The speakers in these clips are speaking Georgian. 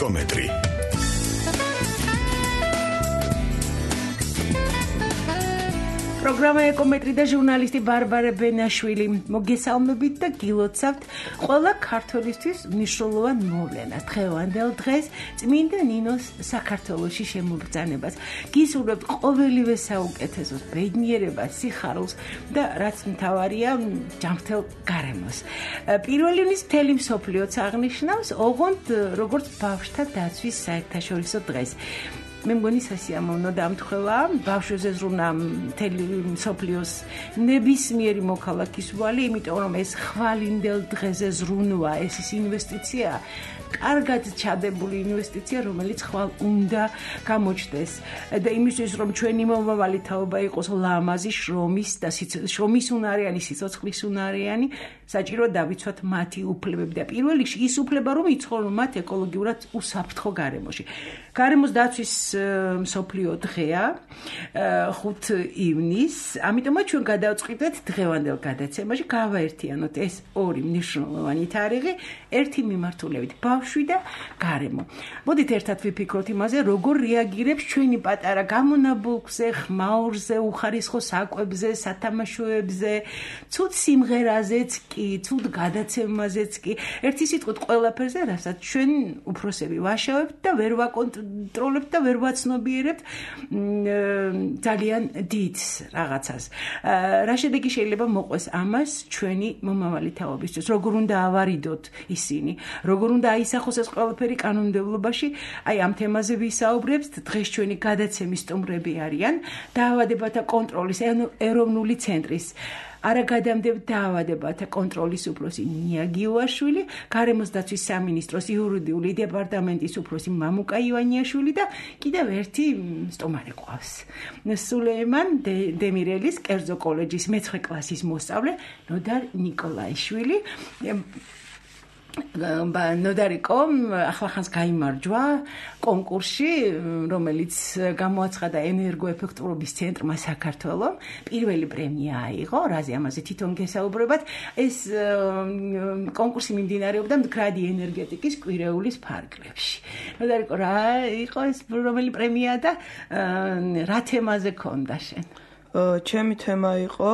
ეკომეტრი. პროგრამა ეკომეტრი და ჟურნალისტი ბარბარე ბენაშვილი მოგესალმებით და გილოცავთ ყველა ქართველისთვის მნიშვნელოვან მოვლენას დღევანდელ დღეს წმინდა ნინოს საქართველოში შემობრძანებას. გისურვებთ ყოველივე საუკეთესოს, ბედნიერებას, სიხარულს და რაც მთავარია ჯანმრთელ გარემოს. პირველი ივნის მთელი მსოფლიოც აღნიშნავს ოღონდ როგორც ბავშვთა დაცვის საერთაშორისო დღეს. მე მგონი სასიამოვნო დამთხევა ბავშვებზე ზრუნვა მთელი მსოფლიოს ნებისმიერი მოქალაქის ვალი, იმიტომ რომ ეს ხვალინდელ დღეზე ზრუნვა, ეს ის ინვესტიცია, კარგად ჩადებული ინვესტიცია, რომელიც ხვალ უნდა გამოჩნდეს და იმისთვის რომ ჩვენი მომავალი თაობა იყოს ლამაზი, შრომის უნარიანი, სიცოცხლის უნარიანი, საჭირო დავიცვათ მათი უფლებები და პირველ რიგში ის უფლება რომ იცხოვრონ მათ ეკოლოგიურად უსაფრთხო გარემოში. გარემოს დაცვის მსოფლიო დღეა 5 ივნის, ამიტომაც ჩვენ გადავწყვიტეთ დღევანდელ გადაცემაში გავაერთიანოთ ეს ორი მნიშვნელოვანი თარიღი ერთი მიმართულებით ბავშვი და გარემო. მოდით ერთად ვიფიქროთ იმაზე, როგორ რეაგირებს ჩვენი პატარა გამონაბოლქვზე, ხმაურზე, უხარისხო საკვებზე, სათამაშოებზე, ცუდ სიმღერაზეც კი, ცუდ გადაცემაზეც კი, ერთი სიტყვით ყველაფერზე, რასაც ჩვენ უფროსები ვაშავებთ და ვერ ვაკონტროლებთ და ვერ ვაცნობიერებთ ძალიან დიდ რაღაცას. რა შედეგი შეიძლება მოყვეს ამას ჩვენი მომავალი თაობისთვის, როგორ უნდა ავარიდოთ ისინი, როგორ უნდა აისახოს ეს ყველაფერი კანონმდებლობაში, აი ამ თემაზე ვისაუბრებთ. დღეს ჩვენი გადაცემის სტუმრები არიან დაავადებათა კონტროლის ეროვნული ცენტრის არაგადამდებთ დაავადებათა კონტროლის უფროსი ნია გიუაშვილი, გარემოს დაცვის სამინისტროს იურიდიული დეპარტამენტის უფროსი მამუკა ივანიაშვილი და კიდევ ერთი სტუმარი ყავს. სულეიმან დემირელის კერძო კოლეჯის მე-9 კლასის მოსწავლე ნოდარ ნიკოლაიშვილი. ნოდარიკომ ახლახანს გაიმარჯვა კონკურსში, რომელიც გამოაცხადა ენერგოეფექტურობის ცენტრმა საქართველოს. პირველი პრემია აიღო, რაზე ამაზე თვითონ გესაუბრებათ. ეს კონკურსი მიმდინარეობდა მდგრადი ენერგეტიკის კვირეულის ფარგლებში. ნოდარიკო, რა იყო ეს რომელი პრემია და რა თემაზე ქონდა შენ? ჩემი თემა იყო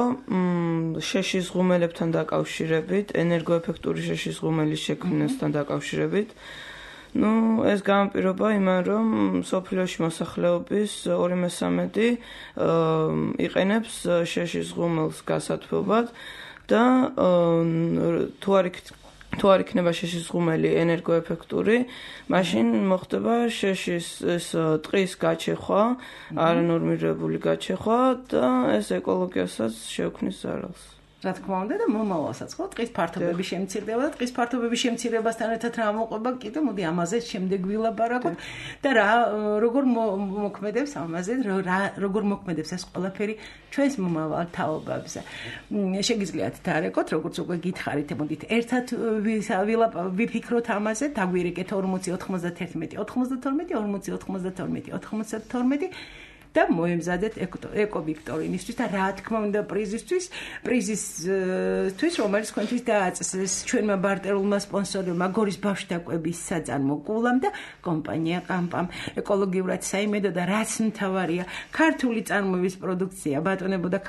შეშის ღუმელებთან დაკავშირებით, ენერგოეფექტური შეშის ღუმელის შექმნასთან დაკავშირებით. ეს განპირობა იმან, რომ სოფლიოში მოსახლეობის 2/3 იყენებს შეშის ღუმელს გასათბობად და თუ არ იქნება შეშის ღუმელი ენერგოეფექტური, მაშინ მოხდება შეშის ეს ტყის გაჩეხვა, არანორმირებული გაჩეხვა და ეს ეკოლოგიასაც შეუქმნის ზარალს. რა თქმა უნდა და მომავალსაც ხო ტყის ფართობები შემცირდება და ტყის ფართობების შემცირებასთან ერთად რა მოყვება კიდე მოდი ამაზე შემდეგ ვილაპარაკოთ და რა როგორ მოქმედებს ამაზე როგორ მოქმედებს ეს ყველაფერი ჩვენს მომავალ თაობებზე. შეგიძლიათ დარეკოთ როგორც უკვე გითხარით, მოდით ერთად ვიფიქროთ ამაზე, დაგვირეკეთ 40 91 92 40 92 92 და მოემზადეთ ეკოვიქტორინისთვის და რა თქმა უნდა პრიზისთვის, რომელიც თქვენთვის დააწესეს ჩვენმა ბარტერულმა სპონსორებმა გორის ბავშვთა კვების საწარმო კულამ და კომპანია ყამპამ. ეკოლოგიურად საიმედო და რაც მთავარია, ქართული წარმოების პროდუქცია, ბატონებო და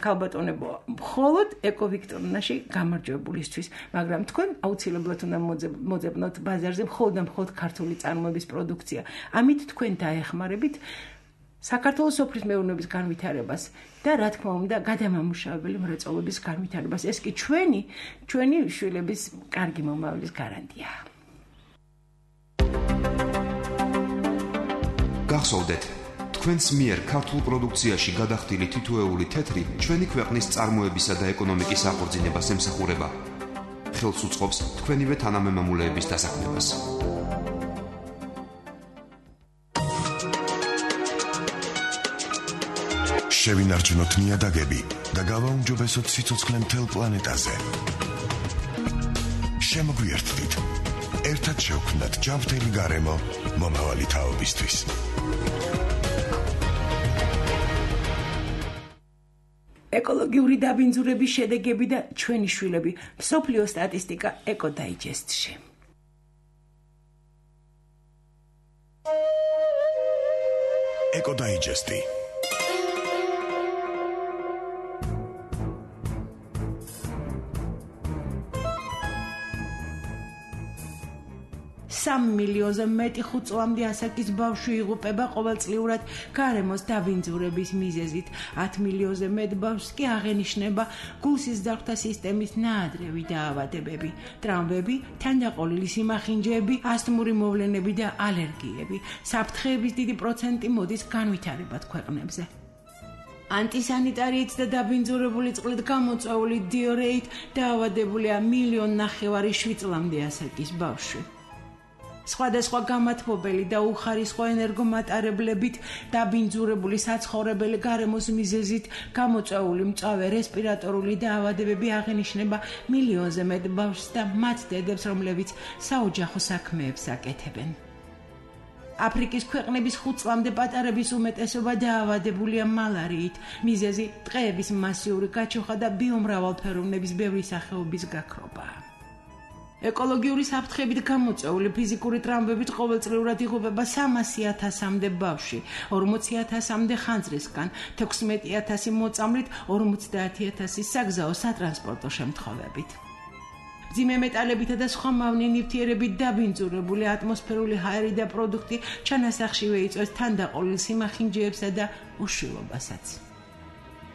ქალბატონებო, მხოლოდ ეკოვიქტორინაში გამარჯვებულისთვის, მაგრამ თქვენ აუცილებლად უნდა მოძებნოთ ბაზარზე მხოლოდ ქართული წარმოების პროდუქცია. ამით თქვენ დაეხმარებით საქართველოს სოფლის მეურნეობის განვითარებას და რა თქმა უნდა გადამამუშავებელი მრეწველობის განვითარებას. ეს კი ჩვენი შვილების კარგი მომავლის გარანტია. გახსოვდეთ, თქვენს მიერ ქართულ პროდუქციაში გადახდილი თითოეული თეთრი ჩვენი ქვეყნის წარმოებისა და ეკონომიკის აღორძინებას ემსახურება. ხელს უწყობს თქვენივე თანამემამულეების დასაქმებას. შევინარჩუნოთ ნიადაგები და გავაუმჯობესოთ სიცოცხლე მთელ პლანეტაზე. შემოგვიერთდით. ერთად შევქმნათ ჯანმრთელი გარემო მომავალი თაობისთვის. ეკოლოგიური დაბინძურების შედეგები და ჩვენი შვილები. მსოფლიო სტატისტიკა ეკოდაიჯესტში. ეკოდაიჯესტი. Сам მილიონზე მეტი 5 წლამდე ასაკის ბავშვი იღუპება ყოველწლიურად გარემოს დაბინძურების მიზეზით. 10 მილიონზე მეტ ბავშვს კი აღენიშნება გულსიზრდაღვთა სისტემის ნაადრევი დაავადებები, ტრავმები, თანდაყოლილი სიმახინჯეები, ასთმური მოვლენები და ალერგიები. საფრთხეების დიდი პროცენტი მოდის განვითარებად ქვეყნებზე. ანტისანიტარიით და დაბინძურებული წყლით გამოწვეული დიარეით დაავადებულია 1,5 მილიონი 7 წლამდე ასაკის ბავშვი. სხვადასხვა გამათბობელი და უხარისხო ენერგომატარებლებით დაბინძურებული საცხოვრებელი გარემოს მიზეზით გამოწვეული მწვავე რესპირატორული დაავადებები აღენიშნება მილიონზე მეტ ბავშვს და მათ დედებს, რომლებიც საოჯახო საქმეებს აკეთებენ. აფრიკის ქვეყნების 5 წლამდე პატარების უმეტესობა დაავადებულია მალარიით. მიზეზი ტყეების მასიური გაჩოხა და ბიომრავალფეროვნების ბევრი სახეობის გაქრობაა. ეკოლოგიური საფრთხებით გამოწვეული ფიზიკური ტრავმებით ყოველწლიურად იღუპება 300,000-მდე ბავშვი, 40,000-მდე ხანძრისგან, 16,000 მოწამლით, 50,000 საგზაო სატრანსპორტო შემთხვევებით. მძიმე მეტალებითა და სხვა მავნე ნივთიერებით დაბინძურებული ატმოსფერული ჰაერი და პროდუქტი ჩანასახშივე იწვევს თანდაყოლილ სიმახინჯეებსა და უშვილობასაც.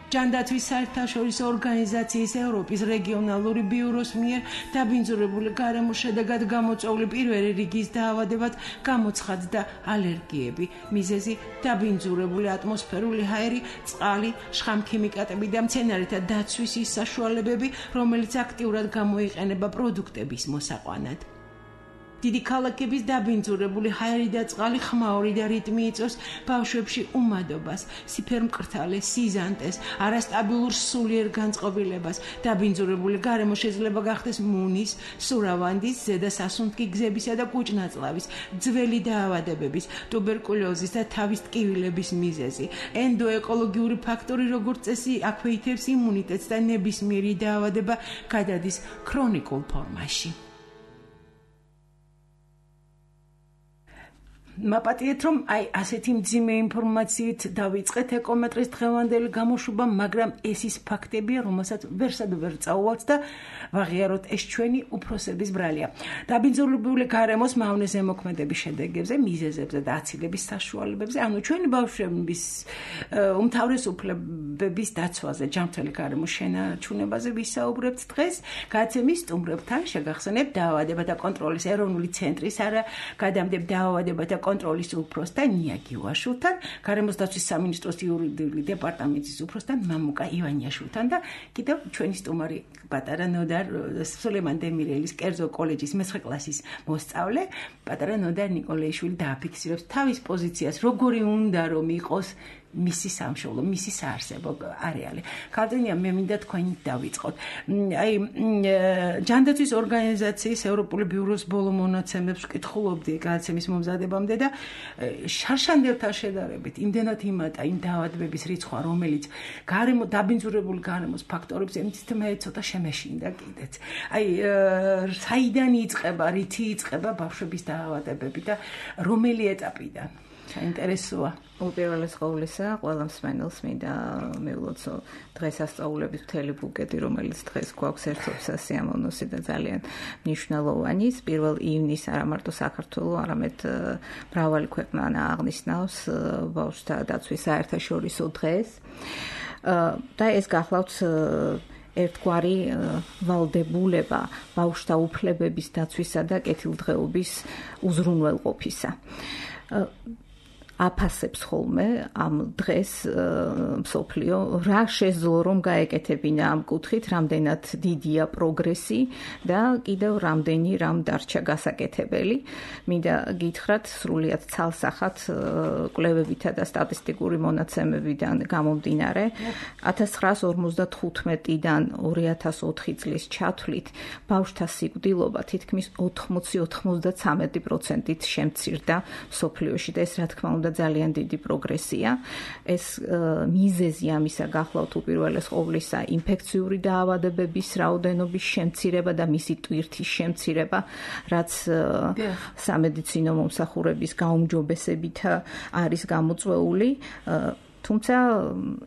ჯანდაცვის საერთაშორისო ორგანიზაციის ევროპის რეგიონალური ბიუროს მიერ დაბინძურებული გარემოს შედეგად გამოწვეული პირველი რიგის დაავადებად გამოცხადდა ალერგიები. მიზეზი დაბინძურებული ატმოსფერული ჰაერი, წყალი, შხამქიმიკატები და მცენარეთა დაცვის ის საშუალებები, რომელიც აქტიურად გამოიყენება პროდუქტების მოსაყვანად. დიდი ქალაქების დაბინძურებული ჰაერი და წყალი ხმაური და რიტმი იწვევს ბავშვებში უმადობას, სიფერმკრთალეს, სიზანტეს, არასტაბილურ სულიერ განწყობილებას. დაბინძურებული გარემო შეიძლება გახდეს მუნის, სურავანდის, ზედასასუნთქი გზებისა და კუჭნაწლავის, ძველი დაავადებების, ტუბერკულოზის და თავის ტკივილების მიზეზი. ენდოეკოლოგიური ფაქტორი, როგორც წესი, აქვეითებს იმუნიტეტს და ნებისმიერი დაავადება გადადის ქრონიკულ ფორმაში. მაპატიეთ, რომ ასეთი მძიმე ინფორმაციით დავიწყეთ ეკომეტრის დღევანდელი გამოშვება, მაგრამ ეს ის ფაქტებია, რომელსაც ვერსად ვერ წაუვალთ და ვაღიაროთ, ეს ჩვენი უფროსების ბრალია. დაბინძურებული გარემოს მავნე ზემოქმედების შედეგებზე, მიზეზებზე და აცილების საშუალებებზე, ანუ ჩვენი ბავშვების უმთავრესუფლებების დაცვაზე, ჯანმრთელი გარემოს შენარჩუნებაზე ვისაუბრებთ დღეს. გადაცემის სტუმრებთან შეგახსენებთ დაავადებათა კონტროლის ეროვნული ცენტრის არაგადამტებ დაავადებათა კონტროლის უფროსთან ნია გიუაშვილთან, გარემოს დაცვის სამინისტროს იურიდიული დეპარტამენტის უფროსთან მამუკა ივანიაშვილთან და კიდევ ჩვენი სტუმარი პატარა ნოდარ სულეიმან დემირელის კერძო კოლეჯის 9 კლასის მოსწავლე პატარა ნოდარ ნიკოლეიშვილი დააფიქსირებს თავის პოზიციას, როგორი უნდა რომ იყოს მისი სამშობლო, მისი საარსებო არეალი. ქალწინია, მე მინდა თქვენ დავიწყოთ. ჯანდაცვის ორგანიზაციის ევროპული ბიუროს ბოლო მონაცემებს ვკითხულობდი გადაცემის მომზადებამდე და შარშანდელთან შედარებით იმდენად იმატა იმ დაავადებების რიცხვი, რომელიც დაბინძურებული გარემოს ფაქტორებს ემთითმე ცოტა შემეშინდა კიდეც. საიდან იწყება, რითი იწყება ბავშვების დაავადებები და რომელი ეტაპიდან? საინტერესოა. უპირველეს ყოვლისა, ყველა მსმენელს მინდა მივლოცო დღესასწაულების მთელი ბუკეტი, რომელიც დღეს გვაქვს ერთობსა სიამოვნოსი და ძალიან მნიშვნელოვანი. 1 ივნისს არა მარტო საქართველოს, არამედ მრავალი ქვეყანა აღნიშნავს ბავშვთა დაცვის საერთაშორისო დღეს. და ეს გახლავთ ერთგვარი ვალდებულება ბავშვთა უფლებების დაცვისა და კეთილდღეობის უზრუნველყოფისა. აფასებს ხოლმე ამ დღეს მსოფლიო რა შეძლო რომ გაეკეთებინა ამ კუთხით, რამდენად დიდია პროგრესი და კიდევ რამდენი რამ დარჩა გასაკეთებელი. მინდა გითხრათ სრულიად ცალსახად კვლევებითა და სტატისტიკური მონაცემებიდან გამომდინარე 1955-დან 2004 წლის ჩათვლით ბავშვთა სიკვდილობა თითქმის 80-93%-ით შემცირდა მსოფლიოში და ეს რა თქმა უნდა და ძალიან დიდი პროგრესია. ეს მიზეზი ამისა გახლავთ უპირველეს ყოვლისა ინფექციური დაავადებების რაოდენობის შემცირება და მისი ტვირთის შემცირება, რაც სამედიცინო მომსახურების გაუმჯობესებით არის გამოწვეული. თუმცა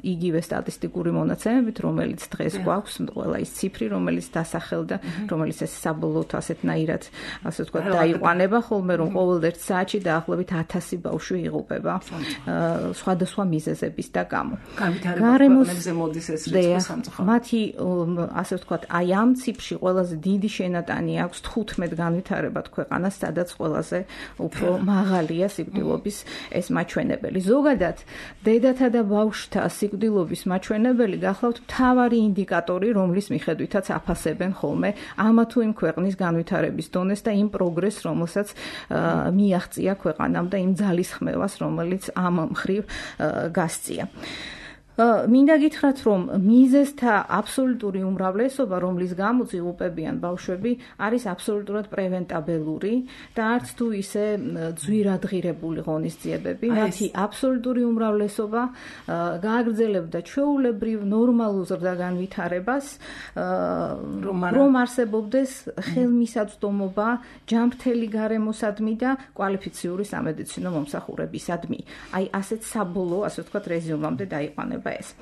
იგივე სტატისტიკური მონაცემებით, რომელიც დღეს გვაქვს, ყველა ის ციფრი, რომელიც დასახელდა, რომელიც ეს საბოლოოდ ასეთნაირად, ასე ვთქვათ, დაიყვანება ხოლმე, რომ ყოველ ერთ საათში დაახლოებით 1000 ბავშვი იღუპება სხვადასხვა მიზეზების და გამო. გარემოსზე მოდის ეს რიცხვი სამწუხაროდ. მათი, ასე ვთქვათ, აი ამ ციფრში ყველაზე დიდი შენატანი აქვს 15 განვითარებად ქვეყანას, სადაც ყველაზე უფრო მაღალია სიკვდილობის ეს მაჩვენებელი. ზოგადად, დედათა და ბავშვთა სიკვდილობის მაჩვენებელი გახლავთ მთავარი ინდიკატორი, რომლის მიხედვითაც აფასებენ ხოლმე ამა თუ იმ ქვეყნის განვითარების დონეს და იმ პროგრესს, რომელსაც მიაღწია ქვეყანამ და იმ ძალისხმევას, რომელიც ამ მხრივ გასწია. მინდა გითხრათ, რომ მიზეზთა აბსოლუტური უმრავლესობა, რომლის გამოც იღუპებიან ბავშვები, არის აბსოლუტურად პრევენტაბელური და არც თუ ისე ძვირადღირებული ღონისძიებები. მათი აბსოლუტური უმრავლესობა გააგრძელებდა ჩვეულებრივ ნორმალურ ზრდაგანვითარებას, რომ არსებობდეს ხელმისაწვდომობა ჯანმრთელი გარემოსადმი და კვალიფიციური სამედიცინო მომსახურებისადმი. აი ასეთ საბოლოო, ასე ვთქვათ, რეზიუმამდე დაიყვანება ეს.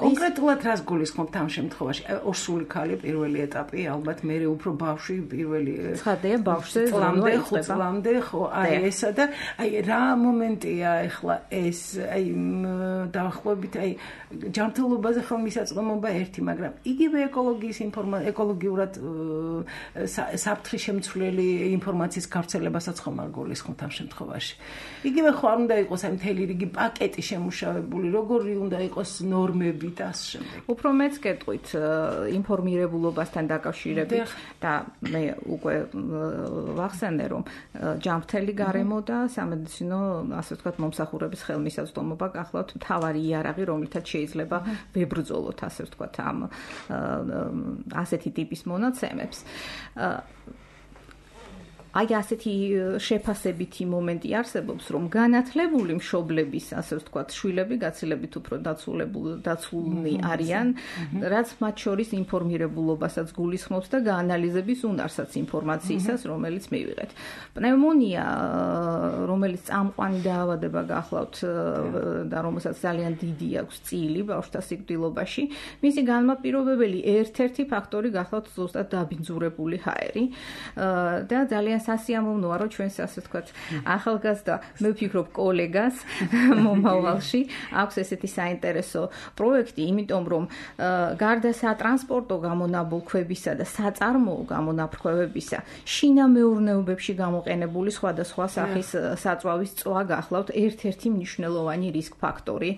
კონკრეტულად რას გულისხმობთ ამ შემთხვევაში? ორსული ქალი პირველი ეტაპი, ალბათ მერე უფრო ბავშვი პირველი ცხადია ბავშვზე წლამდე, 5 წლამდე, ხო, აი ესა და აი რა მომენტია ახლა ეს, აი დაახლოებით აი ჯანმრთელობაზე ხელმისაწვდომობა ერთი, მაგრამ იგივე ეკოლოგიურად საფრთხის შემცვლელი ინფორმაციის გავრცელებასაც ხომ არ გულისხმობთ ამ შემთხვევაში? იგივე ხო არ უნდა იყოს აი მთელი რიგი პაკეტი შემუშავებული, როგორი უნდა იყოს ნორმები და ასე შემდეგ. უფრო მეც კეთყვით ინფორმირებულობასთან დაკავშირებით და მე უკვე ვახსენე, რომ ჯანმრთელი გარემო და სამედიცინო, ასე ვთქვათ, მომსახურების ხელმისაწვდომობა გახლავთ მთავარი იარაღი, რომლითაც შეიძლება ვებრძოლოთ, ასე ვთქვათ, ამ ასეთი ტიპის მონაცემებს. აი ასეთი შეფასებითი მომენტი არსებობს, რომ განათლებული მშობლების, ასე ვთქვათ, შვილები გაცილებით უფრო დაცულნი არიან, რაც მათ შორის ინფორმირებულობასაც გულისხმობს და გაანალიზების უნარსაც ინფორმაციისას, რომელიც მივიღეთ. პნევმონია, რომელიც წამყვანი დაავადება გახლავთ და რომელსაც ძალიან დიდი აქვს წილი ბავშვთა სიკვდილობაში, მისი განმაპირობებელი ერთ-ერთი ფაქტორი გახლავთ ზუსტად დაბინძურებული ჰაერი და ძალიან სასიამოვნოა, რომ ჩვენს, ასე ვთქვათ, ახალგაზრდა, მე ვფიქრობ, კოლეგას მომავალში აქვს ესეთი საინტერესო პროექტი, იმიტომ რომ გარდა სატრანსპორტო გამონაბოლქვებისა და საწარმოო გამონაბოლქვებისა, შინამეურნეობებში გამოყენებული სხვადასხვა სახის საწვავის წვა გახლავთ ერთ-ერთი მნიშვნელოვანი რისკ ფაქტორი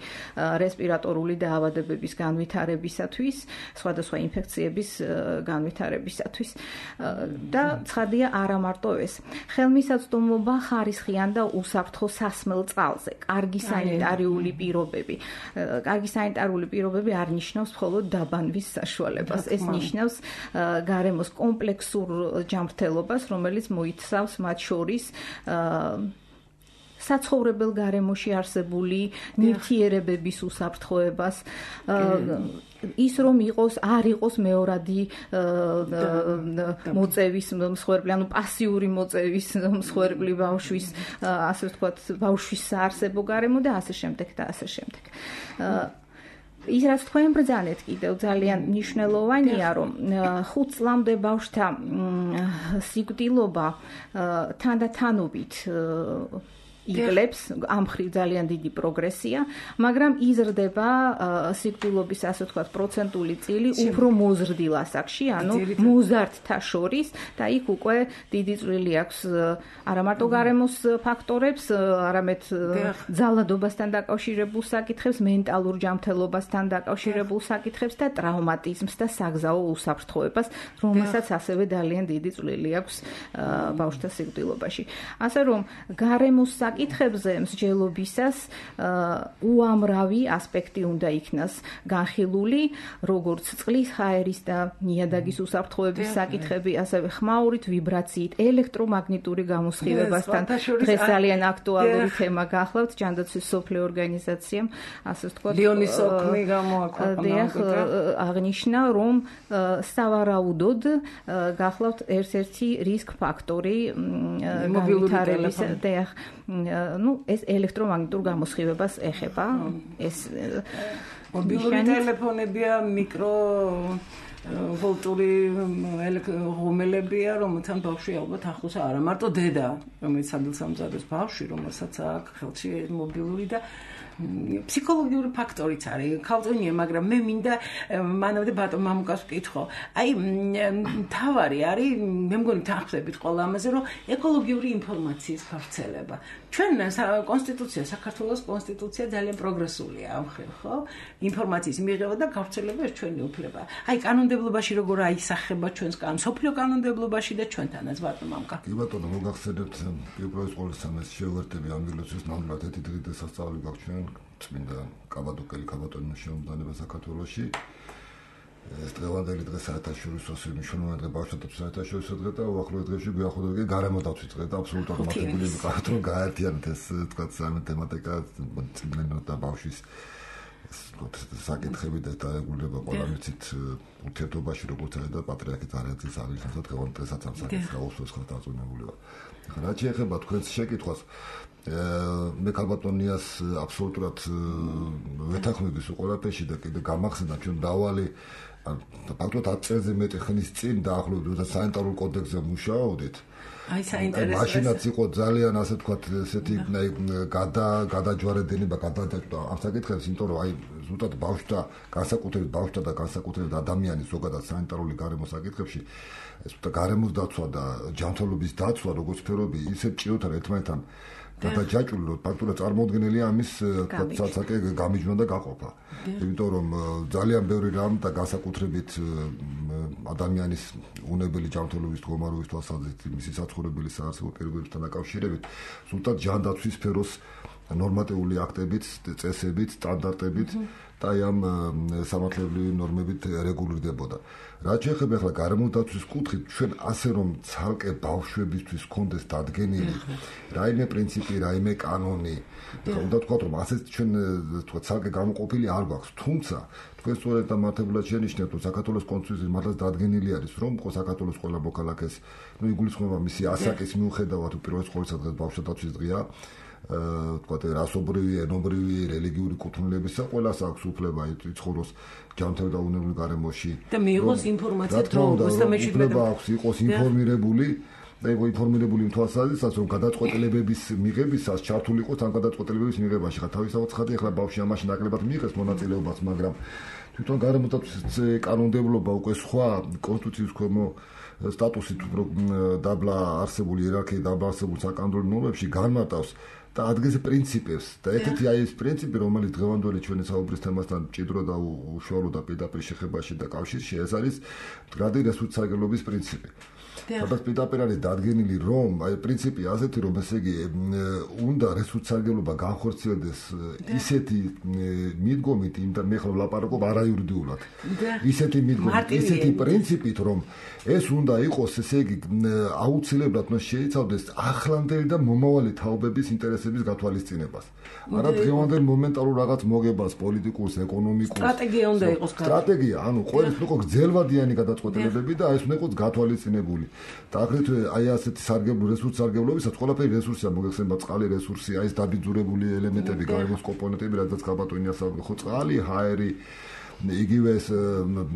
რესპირატორული დაავადებების განვითარებისათვის, სხვადასხვა ინფექციების განვითარებისათვის და ცხადია არა მარტო ეს. ხელმისაწვდომობა ხარისხიან და უსაფრთხო სასმელ წყალზე, კარგი სანიტარიული პირობები. კარგი სანიტარული პირობები არ ნიშნავს მხოლოდ დაბანვის საშუალებას, ეს ნიშნავს გარემოს კომპლექსურ ჯანმრთელობას, რომელიც მოიცავს მათ შორის საცხოვრებელ გარემოში არსებული ნივთიერებების უსაფრთხოებას, ის რომ არ იყოს მეორადი მოწევის მსხვერპლი, ანუ პასიური მოწევის მსხვერპლი ბავშვის, ასე ვთქვათ, ბავშვის საარსებო გარემო და ასე შემდეგ და ასე შემდეგ. ის რაც თქვენ ბრძანეთ კიდევ ძალიან მნიშვნელოვანია, რომ 5 წლამდე ბავშვთა სიკვდილობა თანდათანობით იგლებს, ამ მხრივ ძალიან დიდი პროგრესია, მაგრამ იზრდება სიკვდილობის, ასე ვთქვათ, პროცენტული წილი უფრო მოზრდილ ასაკში, ანუ მოზარდთა შორის და იქ უკვე დიდი წვლილი აქვს არა მარტო გარემოს ფაქტორებს, არამედ ძალადობასთან დაკავშირებულ საკითხებს, მენტალურ ჯანმრთელობასთან დაკავშირებულ საკითხებს და ტრავმატიზმს და საგზაო უსაფრთხოებას, რომელსაც ასევე ძალიან დიდი წვლილი აქვს ბავშვთა სიკვდილობაში. ასე რომ გარემოს საკითხებზე მსჯელობისას უამრავი ასპექტი უნდა იქნას განხილული, როგორც წყლის ჰაერის და ნიადაგის უსაფრთხოების საკითხები, ასევე ხმაურით, ვიბრაციით, ელექტრომაგნიტური გამოსხივებასთან. დღეს ძალიან აქტუალური თემა გახლავთ ჯანდაცვის სოფლიო ორგანიზაციამ, ასე ვთქვათ, ლიონის ოქმი გამოაქვეყნა. აღნიშნა, რომ სავარაუდოდ გახლავთ ერთ-ერთი რისკ ფაქტორი განვითარების ეს ელექტრომაგნიტურ გამოსხივებას ეხება. ეს მობილური ტელეფონებია, მიკრო ვოლტური ღუმელებია, რომელთან ბავშვი ალბათ ახლოს არა მარტო დედა, რომელიც ადგილსამზადოს ბავშვი, რომელსაც აქვს ხელში მობილური და ფსიქოლოგიური ფაქტორიც არის. ქალწუნია, მაგრამ მე მინდა მანამდე ბატონ მამუკას ვკითხო. აი, თავარი არის, მე მგონი თანხმდებით ყველა ამაზე, რომ ეკოლოგიური ინფორმაციის გავრცელება. ჩვენ კონსტიტუცია, საქართველოს კონსტიტუცია ძალიან პროგრესულია ამ ხელ, ხო? ინფორმაციის მიღება და გავრცელება ეს ჩვენი უფლება. აი, კანონმდებლობაში როგორ აისახება ჩვენს სოფლიო კანონმდებლობაში და ჩვენთანაც ბატონ მამუკა. კი ბატონო, მოგახსენებთ პირველ ყოველსამეს შევერთები ამ ილუსტრაციას ნამდვილად ერთი დღე დასასწავლი გაქვს ჩვენ წმინდა კაბადოკელი ქაბატონის შემოქმედება საქართველოში. ეს დღევანდელი დღე საერთაშორისო მნიშვნელოვანი დღე ბავშვთა საერთაშორისო დღე და უახლოეს დღეებში გვიახლოვდება გარემო დაცვის დღე და აბსოლუტურად მართლებული ვიყავთ რომ გაერთიანოთ ეს თქვა სამი თემატიკა წმინდა და ბავშვის საკითხები და დაგეგმება ყველა მიცით ურთიერთობაში როგორც არის და პატრიარქი წარიაძის აღნიშნავს და დღევანდელ დღესაც ამ საკითხს გაუსვეს ხალხ დაწუნებული ვარ. ახლა რაც შეეხება თქვენს შეკითხვას მე ქალბატონიას აბსოლუტურად ვეთანხმების უყურებაში და კიდე გამახსენდა ჩვენ დავალი ფაქტობრივად 10 წელზე მეტი ხნის წინ დაახლოებით საინტერესო კოდექსზე მუშაობდით. აი საინტერესო. მაშინაც იყო ძალიან ასე ვთქვათ ესეთი გადაჯვარედინება გადაჭრა ამ საკითხებს, იმიტომ რომ აი ზუსტად ბავშვთა განსაკუთრებით ადამიანის ზოგადად საინტერესო გარემოს საკითხებში ეს გარემოს დაცვა და ჯანმრთელობის დაცვა როგორც სფეროები ისე ჭიროთან ერთმანეთთან გადაჯაჭვული რომ ფაქტურად წარმოუდგენელია ამის საკე გამიჯვნა და გაყოფა. იმიტომ რომ ძალიან ბევრი რამ და განსაკუთრებით ადამიანის უნებელი ჯანმრთელობის მდგომარეობის თვალსაზრისით მისი საცხოვრებელი საარსებო პირობებთან დაკავშირებით ზუსტად ჯანდაცვის სფეროს ნორმატიული აქტებით, წესებით, სტანდარტებით და ამ სამართლებრივი ნორმებით რეგულირდებოდა. რაც შეეხება ახლა გარემოდაცვის კუთხით, ჩვენ ასე რომ ცალკე ბავშვებისთვის კონდეს დადგენილი რაიმე პრინციპი, რაიმე კანონი, უნდა თქვა რომ ასე ჩვენ თქვა ცალკე გამოყოფილი არ გვაქვს, თუმცა თქვენ სწორედ და მართებულად შენიშნეთ, რომ საქართველოს კონსტიტუციის მართლაც დადგენილი არის, რომ საქართველოს ყველა მოქალაქეს, იგულისხმება მისი ასაკის მიუხედავად უპირველეს ყოვლისა დღეს ბავშვთა დაცვის დღეა. თქვა რასობრივი, ენობრივი, რელიგიური კუთვნილებისა ყველას აქვს უფლება იცხოვროს ჯანმრთელ და უნებრივ გარემოში და მიიღოს ინფორმაცია დროულად და უფლება აქვს იყოს ინფორმირებული და იყო ინფორმირებული იმ თვალსაზრისით რომ გადაწყვეტილებების მიღებისას ჩართული იყოს ამ გადაწყვეტილებების მიღებაში ხა თავისთავად ხადი ახლა ბავშვი ამაში ნაკლებად მიიღეს მონაწილეობას მაგრამ თვითონ გარემოდაცვის კანონმდებლობა უკვე სხვა კონსტიტუციის ქვემო სტატუსით უფრო დაბლა არსებული იერარქიით დაბლა არსებულ საკანონმდებლო ნორმებში განმარტავს და ადგეს პრინციპებს და ერთ-ერთი აი ეს პრინციპი რომელიც დღევანდელი ჩვენი საუბრის თემასთან ჭიდრო და უშუალო და პირდაპირ შეხებაში და კავშირში ეს არის მდგრადი რესურსსარგებლობის პრინციპი. სადაც პირდაპირ არის დადგენილი რომ აი პრინციპი ასეთი რომ ესე იგი უნდა რესურსსარგებლობა განხორციელდეს ისეთი მიდგომით იმ და მე ხო ვლაპარაკობ არაიურიდიულად ისეთი მიდგომით ისეთი პრინციპით რომ ეს უნდა იყოს ესე იგი აუცილებლად შეიცავდეს ახლანდელი და მომავალი თაობების ინტერესების გათვალისწინებას. არა დღევანდელ მომენტალურ რაღაც მოგებას პოლიტიკურს, ეკონომიკურს სტრატეგია უნდა იყოს სტრატეგია, ანუ ყოველთვის იყო გრძელვადიანი გადაწყვეტილებები და ეს უნდა იყოს გათვალისწინებული. და აგრეთვე აი ასეთი რესურსსარგებლობისაც ყველაფერი რესურსია, მოგეხსენება წყალი რესურსი, აი ეს დაბიძურებული ელემენტები, გარემოს კომპონენტები, რადგან ქაბატონიას ხო წყალი, ჰაერი იგივე ეს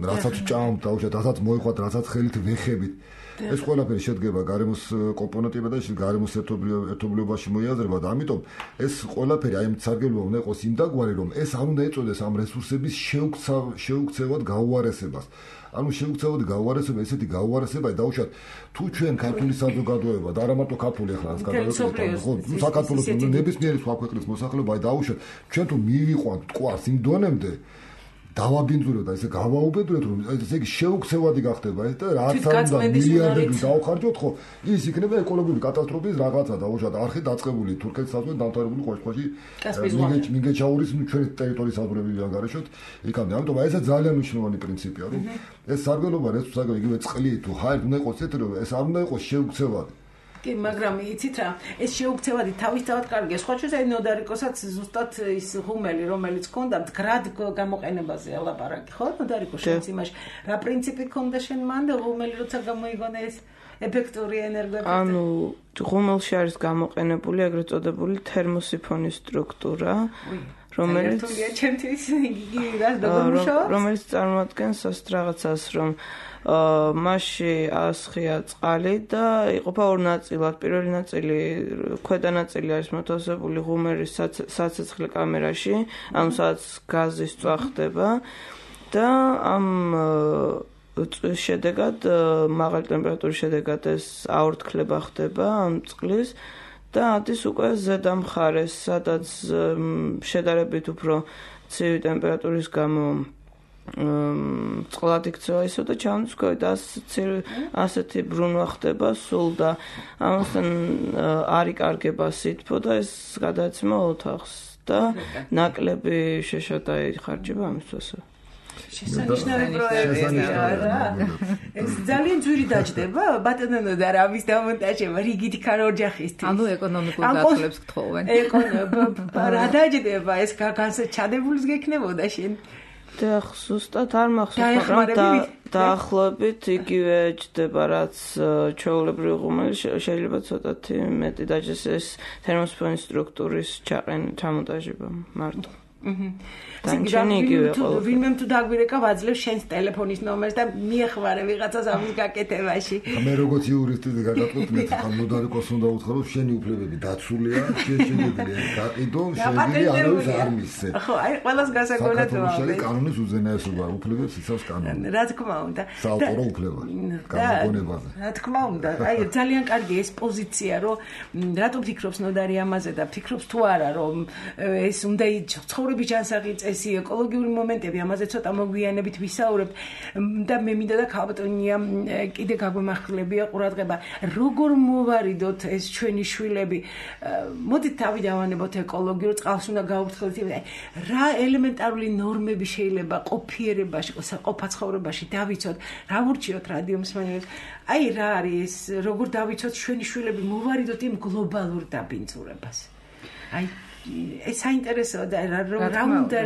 რასაც ჭამთ, დაუშვათ, რასაც მოიხვათ, რასაც ხელით ვეხებით. ეს ყველაფერი შედგება გარემოს კომპონენტებიდან და გარემოს ერთობლიობაში მოიაზრება და ამიტომ ეს ყველაფერი აი სარგებლობა უნდა იყოს იმდაგვარი რომ ეს არ უნდა ეწოდეს ამ რესურსების შეუქცევად გაუარესებას. ანუ შეუქცევად გაუარესება ესეთი გაუარესება დაუშვათ თუ ჩვენ ქართული საზოგადოება და არა მარტო ქართული ახლა ეს გადაგვეცეთ ხო საქართველოს ნებისმიერი სხვა ქვეყნის მოსახლეობა დაუშვათ ჩვენ თუ მივიყვანთ მტკვარს იმ დონემდე დავაბინძურებთ და ესე გავაუბედურებთ რომ ესე იგი შეუქცევადი გახდება ეს და რაც არ უნდა მილიარდები დავხარჯოთ ხო ის იქნება ეკოლოგიური კატასტროფის რაღაცა დაუშვათ არხი დაწყებული თურქეთის საზღვართან დამთავრებული ყოველში მიგეჩაურის ჩვენი ტერიტორიის საზღვრები ანგარიშოთ იქამდე ამიტომ აი ესა ძალიან მნიშვნელოვანი პრინციპია რომ ეს სარგებლობა რესურსები იგივე წყლი თუ ჰაერი უნდა იყოს ესეთი რომ ეს არ უნდა იყოს შეუქცევადი კი მაგრამ იცით რა ეს შეუქცევადი თავისთავად კარგია სხვა შეიძლება ნოდარიკოსაც ზუსტად ის ღუმელი რომელიც ქონდა მდგრად გამოყენებაზე ელაპარაკი ხო ნოდარიკო შენც იმაში რა პრინციპი ქონდა შენ მანდ ღუმელი როცა გამოიგონა ეს ეფექტური ენერგოეფექტი ანუ ღუმელში არის გამოყენებული ეგრეთ წოდებული თერმოსიფონის სტრუქტურა რომელიც წარმოადგენს ასეთ რაღაცას რომ მასში ასხია წყალი და იყოფა ორ ნაწილად. პირველი ნაწილი, ქვედა ნაწილი არის მოთავსებული ღუმელის საცეცხლე კამერაში, ამ სადაც გაზი სწვახდება და ამ შედეგად მაღალი ტემპერატურის შედეგად ეს აორთქლება ხდება ამ წყლის და ადის უკვე ზედა მხარეს, სადაც შედარებით უფრო ცივი ტემპერატურის გამო წყლად იქცევა ისო და ჩამოდის ქვევით ასეთი ბრუნვა ხდება სულ და ამასთან არ იკარგება სითბო და ეს გადაეცემა ოთახს და ნაკლები შეშად აიხარჯება ამისთვისო. შესანიშნავი პროექტია რა. ეს ძალიან ძვირი დაჯდება, ბატონო და რამის დამონტაჟება რიგითი ქაროჯახისთვის. ანუ ეკონომიკურ გათვლებს გთხოვენ. რა დაჯდება ეს ჩადებულს გექნებოდა შენ. და ზუსტად არ მახსოვს, მაგრამ დაახლოებით იგივე ჯდება, რაც ჩვეულებრივი ღუმელი შეიძლება ცოტათი მეტი დაჯდეს ეს თერმოსიფონის სტრუქტურის ჩამონტაჟება მარტო. ვინმე თუ დაგვირეკა ვაძლევ შენს ტელეფონის ნომერს და მიეხმარე ვიღაცას ამის გაკეთებაში. მე როგორც იურისტი გაგატყობთ, ხან ნოდარიკოს უნდა უთხრა, შენი უფლებები დაცულია, შეგვიძლია გაყიდო, შეგვიძლია არავის არ მისცე. ხო, აი ყველას გასაგონად ვამბობ. კანონის უზენაესობა უფლებებს იცავს კანონი. რა თქმა უნდა. საავტორო უფლება. გამოგონებაზე. რა თქმა უნდა. აი ძალიან კარგი ეს პოზიცია, რომ რატომ ფიქრობს ნოდარი ამაზე და ფიქრობს თუ არა, რომ ეს უნდა ცხოვრების ჯანსაღი წესი, ეკოლოგიური მომენტები, ამაზე ცოტა მოგვიანებით ვისაუბრებთ და მე მინდა და ქალბატონია კიდე გაგვემახვილებია ყურადღება, როგორ მოვარიდოთ ეს ჩვენი შვილები. მოდით თავი დავანებოთ ეკოლოგიურ წყალს უნდა გაუფრთხილდეთ. რა ელემენტარული ნორმები შეიძლება ყოფიერებაში, საყოფა ცხოვრებაში დავიცოთ, რა ვურჩიოთ რადიო მსმენელებს. აი რა არის, როგორ დავიცოთ ჩვენი შვილები მოვარიდოთ იმ გლობალურ დაბინძურებას. აი ეს საინტერესოა და რა უნდა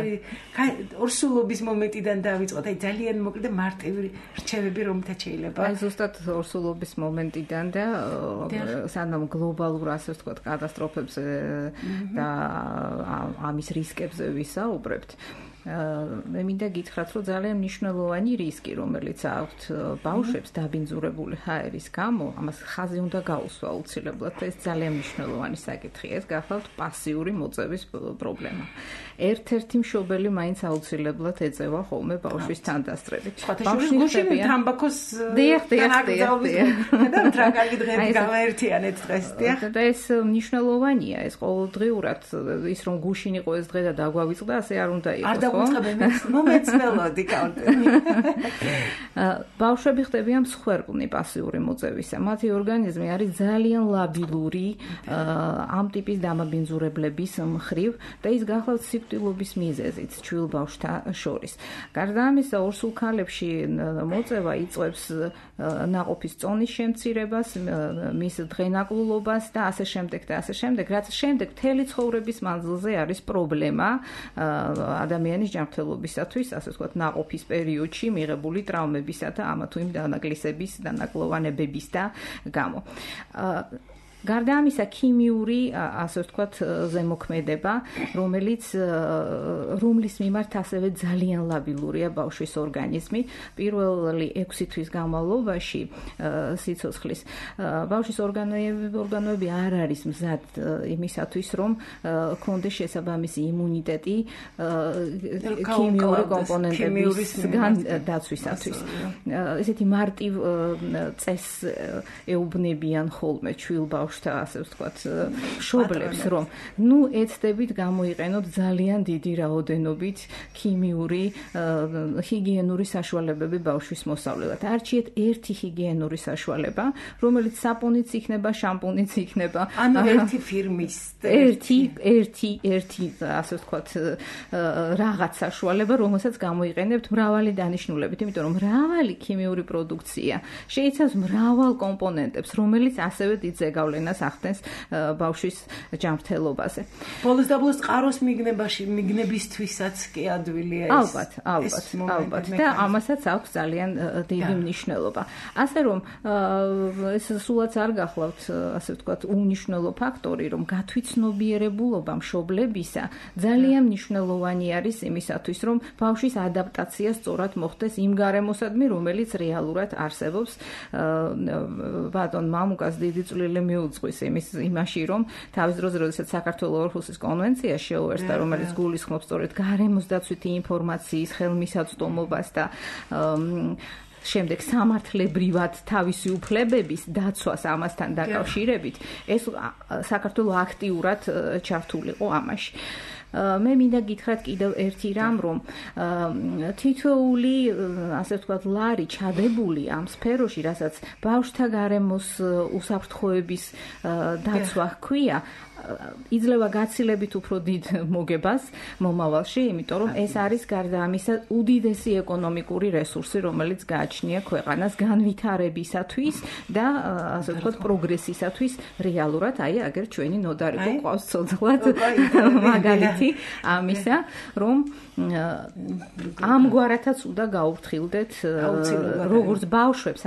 ორსულობის მომენტიდან დავიწყოთ. აი ძალიან მოკლედ მარტივი რჩევები რომთა შეიძლება. აი ზუსტად ორსულობის მომენტიდან და სანამ გლობალურ ასე ვთქვათ კატასტროფებზე და ამის რისკებზე ვისაუბრებთ. მე მინდა გითხრათ, რომ ძალიან მნიშვნელოვანი რისკი, რომელიც აქვთ ბავშვებს დაბინძურებული ჰაერის გამო, ამას ხაზი უნდა გაუსვა აუცილებლად. ეს ძალიან მნიშვნელოვანი საკითხია. ეს გახლავთ პასიური მოწევის პრობლემა. ერთ-ერთი მშობელი მაინც აუცილებლად ეწევა ხოლმე ბავშვის თანდასწრებით. ბავშვი გუშინ თამბაქოს და კარგი დღეები გავაერთიანეთ დღეს. და ეს მნიშვნელოვანია, ეს ყოველდღიურად ის რომ გუშინ იყო ეს დღე და დაგვავიწყდა, ასე არ უნდა იყოს. მომეცნელოდი კაუნტერი. ბავშვები ხდებიან მსხვერპლნი პასიური მოწევისა. მათი ორგანიზმი არის ძალიან ლაბილური ამ ტიპის დამაბინძურებლების მხრივ და ის გახლავთ სიკვდილობის მიზეზით ჩვილ ბავშვთა შორის. გარდა ამისა, ორსულ ქალებში მოწევა იწვევს ნაყოფის წონის შემცირებას, მის დღენაკლულობას და ასე შემდეგ და ასე შემდეგ, რაც შემდეგ მთელი ცხოვრების მანძილზე არის პრობლემა ადამიანის ჯანმრთელობისათვის, ასე ვთქვათ, ნაყოფის პერიოდში მიღებული ტრავმებისა და ამა თუ იმ დანაკლისების, დანაკლოვანებების და გამო. გარდა ამისა, ქიმიური, ასე ვთქვათ, ზემოქმედება, რომლის მიმართ ასევე ძალიან ლაბილურია ბავშვის ორგანიზმი. პირველი 6 თვის განმავლობაში სიცოცხლის ბავშვის ორგანოები არ არის მზად იმისათვის, რომ კონდეს შესაბამისი იმუნიტეტი ქიმიური კომპონენტებისგან დაცვისათვის. ესეთი მარტივ წესს ეუბნებიან ხოლმე ჩვილ ბავშვს ბავშვთა ასე ვთქვათ მშობლებს რომ ეცდებით გამოიყენოთ ძალიან დიდი რაოდენობით ქიმიური ჰიგიენური საშუალებები ბავშვის მოსავლელად. არჩიეთ ერთი ჰიგიენური საშუალება, რომელიც საპონიც იქნება, შამპუნიც იქნება. ანუ ერთი ფირმის ერთი ასე ვთქვათ რაღაც საშუალება, რომელსაც გამოიყენებთ მრავალი დანიშნულებით, იმიტომ რომ მრავალი ქიმიური პროდუქცია შეიცავს მრავალ კომპონენტებს, რომელიც ასევე დიდ ზეგავლენას ახდენს ბავშვის ჯანმრთელობაზე. ბოლოს და ბოლოს წყაროს მიგნებისთვისაც კი ადვილია ეს. ალბათ. და ამასაც აქვს ძალიან დიდი მნიშვნელობა. ასე რომ ეს სულაც არ გახლავთ, ასე ვთქვათ, უნიშნელო ფაქტორი, რომ გათვითცნობიერებულობა მშობლებისა ძალიან მნიშვნელოვანი არის იმისათვის, რომ ბავშვის ადაპტაცია სწორად მოხდეს იმ გარემოსადმი, რომელიც რეალურად არსებობს. ბატონ მამუკას დიდი წვლილი მიუძღვის იმაში, რომ თავის დროზე, როდესაც საქართველოს ორხუსის კონვენცია შეუერთდა, რომელიც გულისხმობს სწორედ გარემოს დაცვითი ინფორმაციის ხელმისაწვდომობას და შემდეგ სამართლებრივად თავისი უფლებების დაცვას ამასთან დაკავშირებით, ეს საქართველოს აქტიურად ჩართულიყო ამაში. მე მინდა გითხრათ კიდევ ერთი რამ, რომ თითოეული, ასე ვთქვათ, ლარი ჩადებული ამ სფეროში, რასაც ბავშვთა გარემოს უსაფრთხოების დაცვა ჰქვია, იძლევა გაცილებით უფრო დიდ მოგებას მომავალში, იმიტომ რომ ეს არის გარდა ამისა უდიდესი ეკონომიკური რესურსი, რომელიც გააჩნია ქვეყანას განვითარებისათვის და ასე ვთქვათ, პროგრესისათვის რეალურად, აგერ ჩვენი ნოდარიკო ყავს ცოცხლად მაგალითი ამისა, რომ ამგვარათაც უნდა გაუფრთხილდეთ როგორც ბავშვებს,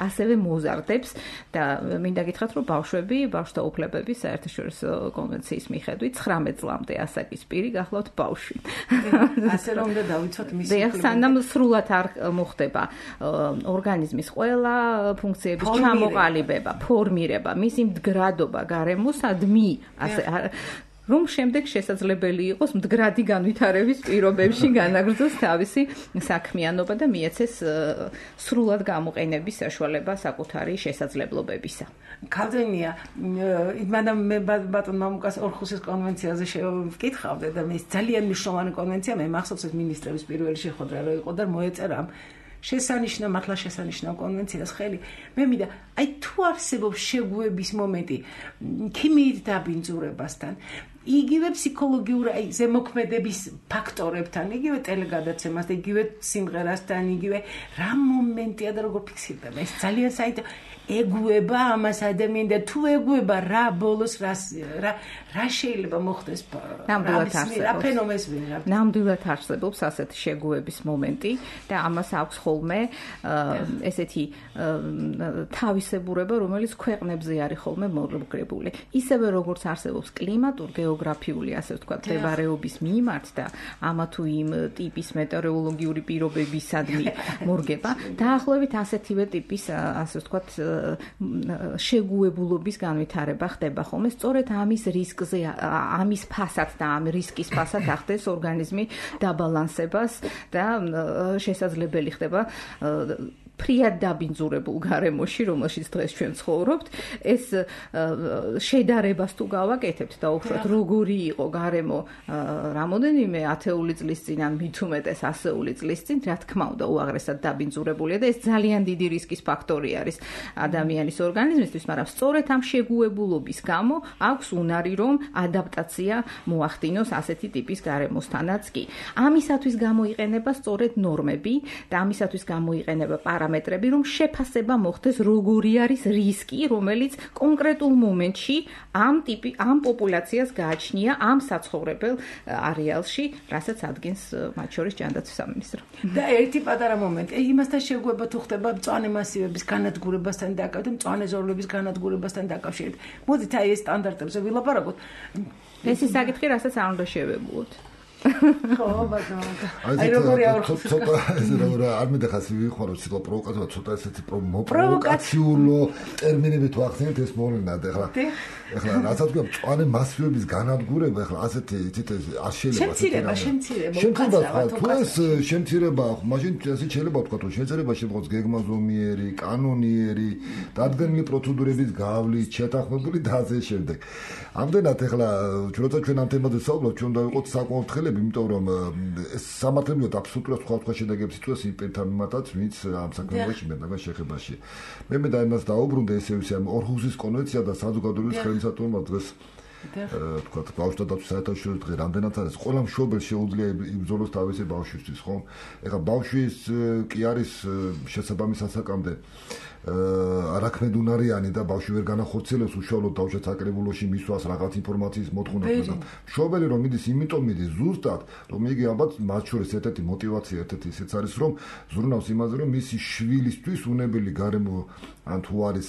ასევე მოზარდებს და მინდა გითხრათ, რომ ბავშვთა უფლებების საერთაშორისო კონვენციის მიხედვით 19 წლამდე ასაკის პირი გახლავთ ბავშვი. ასე რომ უნდა დავიცვათ მისი უფლებები. სანამ სრულად არ მოხდება ორგანიზმის ყველა ფუნქციების ჩამოყალიბება, ფორმირება, მისი მდგრადობა გარემოსადმი, ასე რომ შემდეგ შესაძლებელი იყოს მდგრადი განვითარების პირობებში განაგრძოს თავისი საქმიანობა და მიეცეს სრულად გამოყენების საშუალება საკუთარი შესაძლებლობებისა. ქავდენია, მანამ მე ბატონ მამუკას ორხუსის კონვენციაზე შევკითხავდე და ეს ძალიან მნიშვნელოვანი კონვენცია, მე მახსოვს ეს მინისტრების პირველი შეხვედრა რო იყო და მოეწერა მართლა შესანიშნავ კონვენციას ხელი. მე მინდა, თუ არსებობს შეგუების მომენტი ქიმიით დაბინძურებასთან, იგივე ფსიქოლოგიური ზემოქმედების ფაქტორებთან, იგივე ტელეგადაცემას და იგივე სიმღერასთან, იგივე რა მომენტია და როგორ ფიქსირდება. ეს ძალიან საინტერესო ეგუება ამას ადამიანი და თუ ეგუება რა ბოლოს რა შეიძლება მოხდეს ნამდვილად არსებობს ასეთი შეგუების მომენტი და ამას აქვს ხოლმე ესეთი თავისებურება, რომელიც ქვეყნებზე არის ხოლმე მორგებული. ისევე როგორც არსებობს კლიმატურ-გეოგრაფიული, ასე ვთქვათ, მდებარეობის მიმართ და ამა თუ იმ ტიპის მეტეოროლოგიური პირობებისადმი მორგება, დაახლოებით ასეთივე ტიპის, ასე ვთქვათ, შეგუებულობის განვითარება ხდება ხოლმე. სწორედ ამის რისკზე, ამის ფასად და ამ რისკის ფასად ახდენს ორგანიზმი დაბალანსებას და შესაძლებელი ხდება ფრიად დაბინძურებულ გარემოში, რომელშიც დღეს ჩვენ ცხოვრობთ, ეს შედარებას თუ გავაკეთებთ და უბრალოდ როგორი იყო გარემო რამოდენიმე ათეული წლის წინ ან მით უმეტეს ასეული წლის წინ, რა თქმა უნდა, უაღრესად დაბინძურებულია და ეს ძალიან დიდი რისკის ფაქტორი არის ადამიანის ორგანიზმისთვის, მაგრამ სწორედ ამ შეგუებულობის გამო აქვს უნარი, რომ ადაპტაცია მოახდინოს ასეთი ტიპის გარემოსთანაც კი. ამისათვის გამოიყენება სწორედ ნორმები და ამისათვის გამოიყენება პარამეტრები, რომ შეფასება მოხდეს, როგორი არის რისკი, რომელიც კონკრეტულ მომენტში ამ პოპულაციას გააჩნია ამ საცხოვრებელ არეალში, რასაც ადგენს მათ შორის ჯანდაცვის სამინისტრო. და ერთი პატარა მომენტი, იმასთან შეგუება თუ ხდება მწვანე მასივების განადგურებასთან დაკავშირებით, მწვანე ზოლების განადგურებასთან დაკავშირებით. მოდით ეს სტანდარტებზე ვილაპარაკოთ. ეს ის საკითხი, რასაც არ უნდა შევებულოთ. ხო, ბატონო. აი როგორი აურხოს. ცოტა არ მიდახას ვიხმარო ცოტა პროვოკაცია, ცოტა ესეთი პროვოკაციულო ტერმინები თუ ახსენეთ ეს მოვლენად ეხლა რასაც გვაქვს მწვანე მასივების განადგურება ეხლა ასეთი იცით არ შეიძლება შემცირება თუ ეს შემცირება მაშინ ასე შეიძლება ვთქვა რომ შეიძლება შემოღოს გეგმაზომიერი კანონიერი დადგენილი პროცედურების გავლით შეთანხმებული და ასე შემდეგ ამდენად ეხლა ჩვენ ამ თემაზე საუბრობთ ჩვენ დავიყოთ საკმაოდ ხელები იმიტომ რომ ეს სამართლებრივად აბსოლუტურად სხვა შედეგებს იწვევს იმ პირთან მიმართაც ვინც ამ საქმეში მეტნაკლებად შეხებაში მე და იმას დაუბრუნდა ესე ისე ორჰუსის კონვენცია და საზოგადოების ხელმისაწვდომობა დღეს თქვა ბავშვთა დაცვის საერთაშორისო დღე რამდენად არის ყველა მშობელს შეუძლია იბრძოლოს თავისი ბავშვისთვის ხო ეხლა ბავშვის კი არის შესაბამის ასაკამდე არაქმედუნარიანი და ბავშვი ვერ განახორციელებს უშუალოდ თავშეც აკრებულოში მისვას რაღაც ინფორმაციის მოთხოვნას და მშობელი რომ მიდის იმიტომ მიდის ზუსტად რომ იგი ალბათ მათ შორის ერთ-ერთი მოტივაცია ერთ-ერთი ისეც არის რომ ზრუნავს იმაზე რომ მისი შვილისთვის უნებელი გარემო ან თუ არის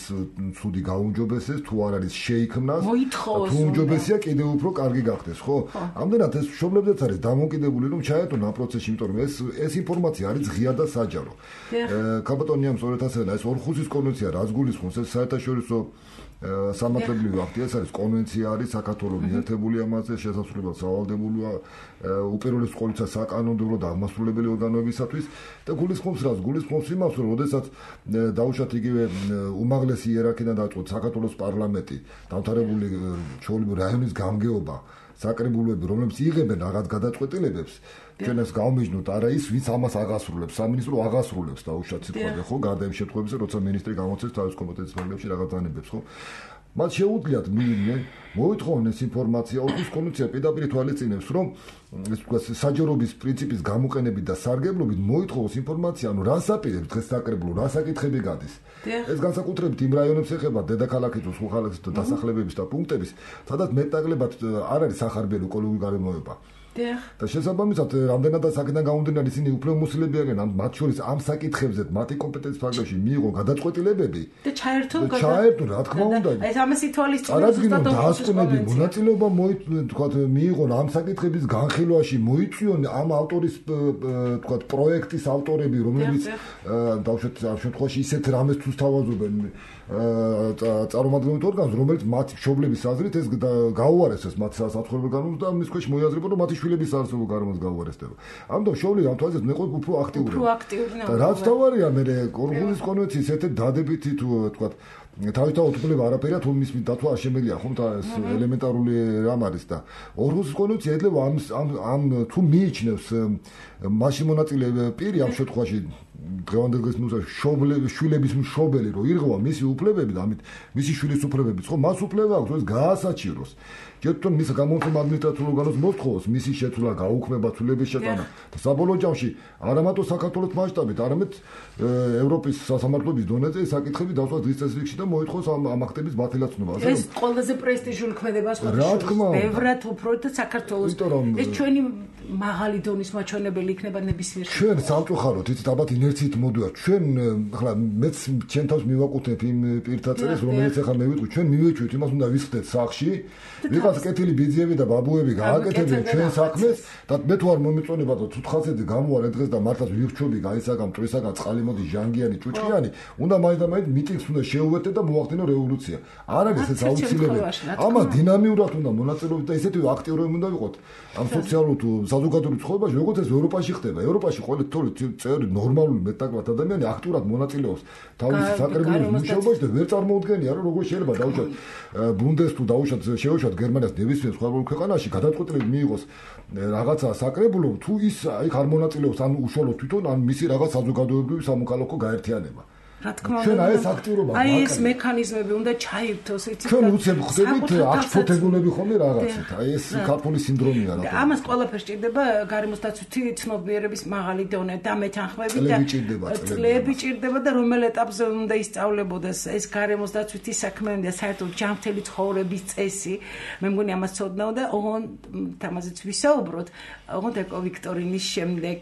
ცუდი გაუმჯობესდეს თუ არ არის შეიქმნას თუ უმჯობესია კიდევ უფრო კარგი გახდეს ხო ამდენად ეს მშობლებზეც არის დამოკიდებული რომ ჩაეტონ ამ პროცესში იმიტომ რომ ეს ინფორმაცია არის ღია და საჯარო კაპიტონიამ სწორედ ასე ეს ორხუსის კონვენცია რაც გულისხმობს ეს საერთაშორისო სამართლებრივი აქტი ეს არის კონვენცია არის საქართველოს მიერთებული ამაზე შესაძლებლად სავალდებულოა უპირველეს ყოვლისა საკანონმდებლო და აღმასრულებელი ორგანოებისათვის და გულისხმობს იმას რომ შესაძაც დაუშვათ იგივე უმაღლესი იერარქიიდან დაწყოთ საქართველოს პარლამენტი დამთავრებული ჩვეულებრივი რაიონის გამგეობა საკრებულოები რომლებიც იღებენ რაღაც გადაწყვეტილებებს ჩვენ ეს გავმეჯნოთ არა ის ვინც ამას აღასრულებს სამინისტრო აღასრულებს დაუშვათ სიტყვაზე ხო გარდა იმ შემთხვევებში როცა ministri გამოცეს თავის კომპეტენციის ფარგლებში რაღაც დანებებს ხო მათ შეუძლიათ მოითხოვონ ეს ინფორმაცია ორგანოს კონვენცია პირდაპირ თვალისწინებს რომ ეს თქვა საჯაროების პრინციპის გამოყენებით და სარგებლობით მოითხოვოს ინფორმაცია ანუ რა საპირებს დღეს საკრებულო რა საკითხები გადის ეს განსაკუთრებით იმ რაიონებს ეხება დედაქალაქის თუ სხვა ქალაქის დასახლებების და პუნქტების სადაც მეტნაკლებად არ არის სახარბიელი ეკოლოგიური გარემოება და შესაბამისად რამდენადაც აქედან გამომდინარე ისინი უფრო მოსილები არიან ამ მათ შორის ამ საკითხებზე მათი კომპეტენციის ფარგლებში მიიღო გადაწყვეტილებები და ჩაერთო რა თქმა უნდა ეს ამას ითვალისწინებს ზუსტად დაასკვნები მონაწილეობა თქვა მიიღო ამ საკითხების განხილვაში მოიწვიონ ამ ავტორის თქვა პროექტის ავტორები რომლებიც დავუშვათ ამ შემთხვევაში ისეთ რამეს თუ სთავაზობენ წარმომადგენლობრივ ორგანოს რომელიც მათი მშობლების აზრით ეს გაუარეს ეს მათ საცხოვრებელ განონს და მის ქვეშ მოიაზრება რომ მათი შვილების არსებულ გარემოს გაუარესდება. ამიტომ შოვლი ამ თვალსაზრისით მე ყოფილი უფრო აქტიური. და რაც თავარია მე ორგანიზმის კონვენციის ერთ-ერთი დადებითი თუ თქვა თავისთავად უფლება არაფერია თუ მის დათვა არ შემიძლია ხომ და ეს ელემენტარული რამ არის და ორგანიზმის კონვენცია ეძლევა ამ თუ მიიჩნევს მაშინ მონაწილე პირი ამ შემთხვევაში დღევანდელ დღეს შვილების მშობელი რო ირღვა მისი უფლებები და ამით მისი შვილის უფლებებიც ხო მას უფლება აქვს ეს გაასაჩიროს ჯერტონ მის გამომხმ ადმინისტრაციულ ორგანოს მოსთხოვოს მისი შეცვლა გაუქმება ცვლილების შეტანა და საბოლოო ჯამში არა მარტო საქართველოს მასშტაბით არამედ ევროპის სასამართლოების დონეზე ეს საკითხები დავსვათ დღის წესრიგში და მოითხოვს ამ აქტების ბათილაცნობა ეს ყველაზე პრესტიჟული ქმედება სხვა ბევრად უფრო და საქართველოს ეს ჩვენი მაღალი დონის მაჩვენებელი იქნება ნებისმიერ ჩვენ სამწუხაროდ იცით ალბათ ინერციით მოდივართ ჩვენ ახლა მეც ჩემ თავს მივაკუთვნებ იმ პირთა წერილს რომელიც ახლა მე ვიტყვი ჩვენ მივეჭვით იმას უნდა ვისხდეთ სახში ვიღაც კეთილი ბიძიები და ბაბუები გააკეთებენ ჩვენ საქმეს და მე თუ არ მომიწონება და თუთხაცედი გამოარე დღეს და მართლაც ვიხრჩობი გაისაგამ მტრისაგან წყალი მოდი ჟანგიანი ჭუჭყიანი უნდა მაინც და მაინც მიტინგს უნდა შეუერთდეთ და მოახდინო რევოლუცია არ არის ეს აუცილებელი ამას დინამიურად უნდა მონაწილეობდეთ და ისეთი აქტიურები უნდა ვიყოთ ამ სოციალურ თუ საზოგადოებრივ ცხოვრებაში როგორც ეს ევროპაში ხდება ევროპაში ყოველი წევრი ნორმალური მეტნაკლებად ადამიანი აქტიურად მონაწილეობს თავის საკრებულოს მუშაობაში და ვერ წარმოუდგენია რომ როგორ შეიძლება დაუშვათ ბუნდეს თუ დაუშვათ შეუშვათ გერმანიას ნებისმიერ სხვა ქვეყანაში გადაწყვეტილება მიიღოს რაღაცა საკრებულო თუ ის იქ არ მონაწილეობს ან უშუალოდ თვითონ ან მისი რაღაც საზოგადოებრივი სამოქალაქო გაერთიანება რა თქმა უნდა ჩვენ აი ეს აქტიურობა აი ეს მექანიზმები უნდა ჩაირთოს იცით ჩვენ უცებ ხდებით აღფოთებულები ხომ რაღაცით აი ეს ქართული სინდრომია რა თქმა ამას ყველაფერს ჭირდება გარემოს დაცვითი ცნობიერების მაღალი დონე და მეთანხმები და წლები ჭირდება და რომელ ეტაპზე უნდა ისწავლებოდეს ეს გარემოს დაცვითი საქმეები და საერთოდ ჯანმრთელი ცხოვრების წესი მე მგონი ამას ცოდნაო და ოღონდ ამაზეც ვისაუბროთ ოღონდ ეკო ვიქტორინის შემდეგ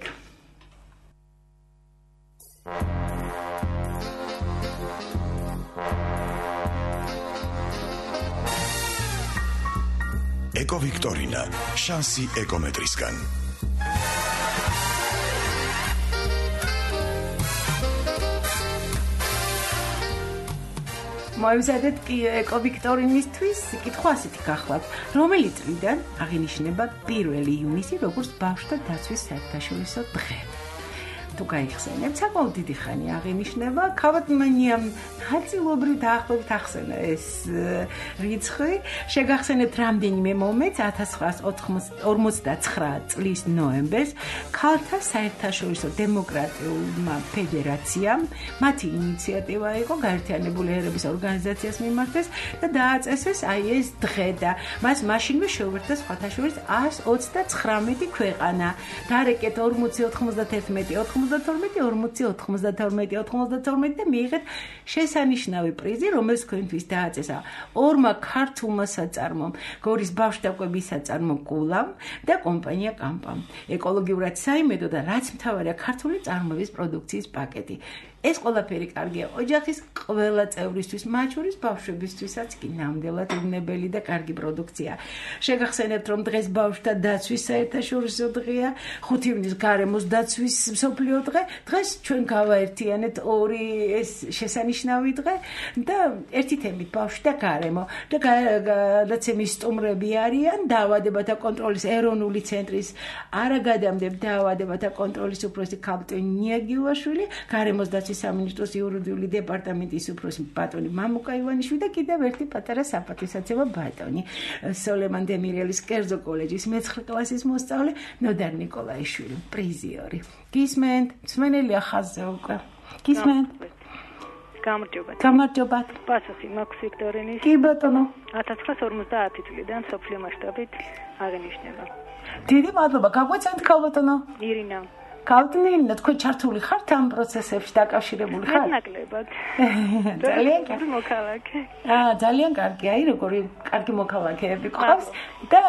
ეკო ვიქტორინა შანსი ეკომეტრისგან მოემზადეთ ეკოვიქტორინისთვის კითხვა ასეთი გახლავთ. რომელი წლიდან აღინიშნება 1 ივნისი როგორც ბავშვთა დაცვის საერთაშორისო დღე? თუ გაიხსენებთ, საკმაოდ დიდი ხანი აღინიშნება. ქავატმანია ნაწილობრივ დაახლოებით ახსენა ეს რიცხვი. შეგახსენებთ რამდენიმე მომენტს 1949 წლის ნოემბერს ქალთა საერთაშორისო დემოკრატიულმა ფედერაციამ მათი ინიციატივა იყო გაერთიანებული ერების ორგანიზაციას მიმართეს და დააწესეს აი ეს დღე და მას მაშინვე შეუერთდა სხვათა შორის 129 ქვეყანა. დაარეკეთ 40-91 92 და მიიღეთ შესანიშნავი პრიზი, რომელს თქვენთვის დააწესა ორმა ქართულმა საწარმომ, გორის ბავშვთა კვების საწარმო კულამ და კომპანია კამპამ. ეკოლოგიურად საიმედო და რაც მთავარია ქართული წარმოების პროდუქციის პაკეტი. ეს ყველაფერი კარგია ოჯახის ყველა წევრისთვის, მათ შორის ბავშვებისთვისაც კი ნამდვილად უნებელი და კარგი პროდუქცია. შეგახსენებთ, რომ დღეს ბავშვთა დაცვის საერთაშორისო დღეა, 5 ივნის გარემოს დაცვის მსოფლიო დღე. დღეს ჩვენ გავაერთიანეთ ორი ეს შესანიშნავი დღე და ერთი თემით ბავშვი და გარემო და გადაცემის სტუმრები არიან დაავადებათა კონტროლის ეროვნული ცენტრის არაგადამდებ დაავადებათა კონტროლის უფროსი ქალბატონი ნიაგილაშვილი, გარემოს დაცვის სამინისტროს იურიდიული დეპარტამენტის უფროსი ბატონი მამუკა ივანიშვილი და კიდევ ერთი პატარა საპატივსაცემო ბატონი სოლემან დემირელის კერძო კოლეჯის მე-9 კლასის მოსწავლე ნოდარ ნიკოლაიშვილი, პრიზიორი. გისმენთ, მსმენელია ხაზზე უკვე. გისმენთ. გამარჯობათ. პასუხი მაქვს ვიქტორინის. კი ბატონო. 1950 წლიდან სოფლიო მასშტაბით აღინიშნება. დიდი მადლობა. გაგვეცემთ ქალბატონო. ირინა. ქალბატონო, თქვენ ჩართული ხართ ამ პროცესებში დაკავშირებული ხართ? ნაკლებად. ძალიან კარგი მოქალაქე. ძალიან კარგი, აი როგორი კარგი მოქალაქეები ყავს და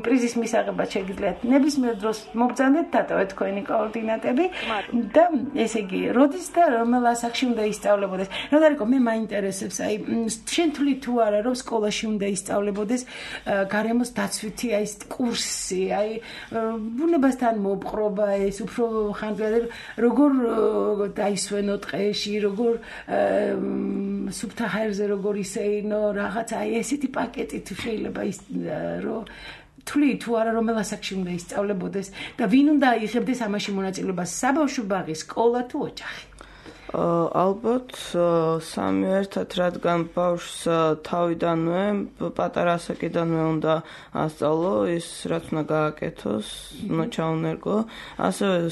პრიზის მისაღებად შეგიძლიათ ნებისმიერ დროს მობრძანდეთ დატოვეთ თქვენი კოორდინატები და ესე იგი, როდის და რომელ ასაკში უნდა ისწავლებოდეს? ნოდარიკო, მე მაინტერესებს, აი შენ თვლი თუ არა, რომ სკოლაში უნდა ისწავლებოდეს გარემოს დაცვითი აი კურსი, აი ბუნებასთან მოპყრობა ეს უფრო ხანძარი როგორ დაისვენო ტყეში, როგორ სუფთა ჰაერზე როგორ ისეინო, რაღაც აი ესეთი პაკეტი თუ შეიძლება ის რომ თვლი თუ არა რომელ ასაკში უნდა ისწავლებოდეს და ვინ უნდა აიღებდეს ამაში მონაწილეობას, საბავშვო ბაღი, სკოლა თუ ოჯახი? ალბათ სამი ერთად, რადგან ბავშვს თავიდანვე, პატარა ასაკიდანვე უნდა ასწავლო ის, რაც უნდა გააკეთოს, უნდა ჩაუნერგო, ასევე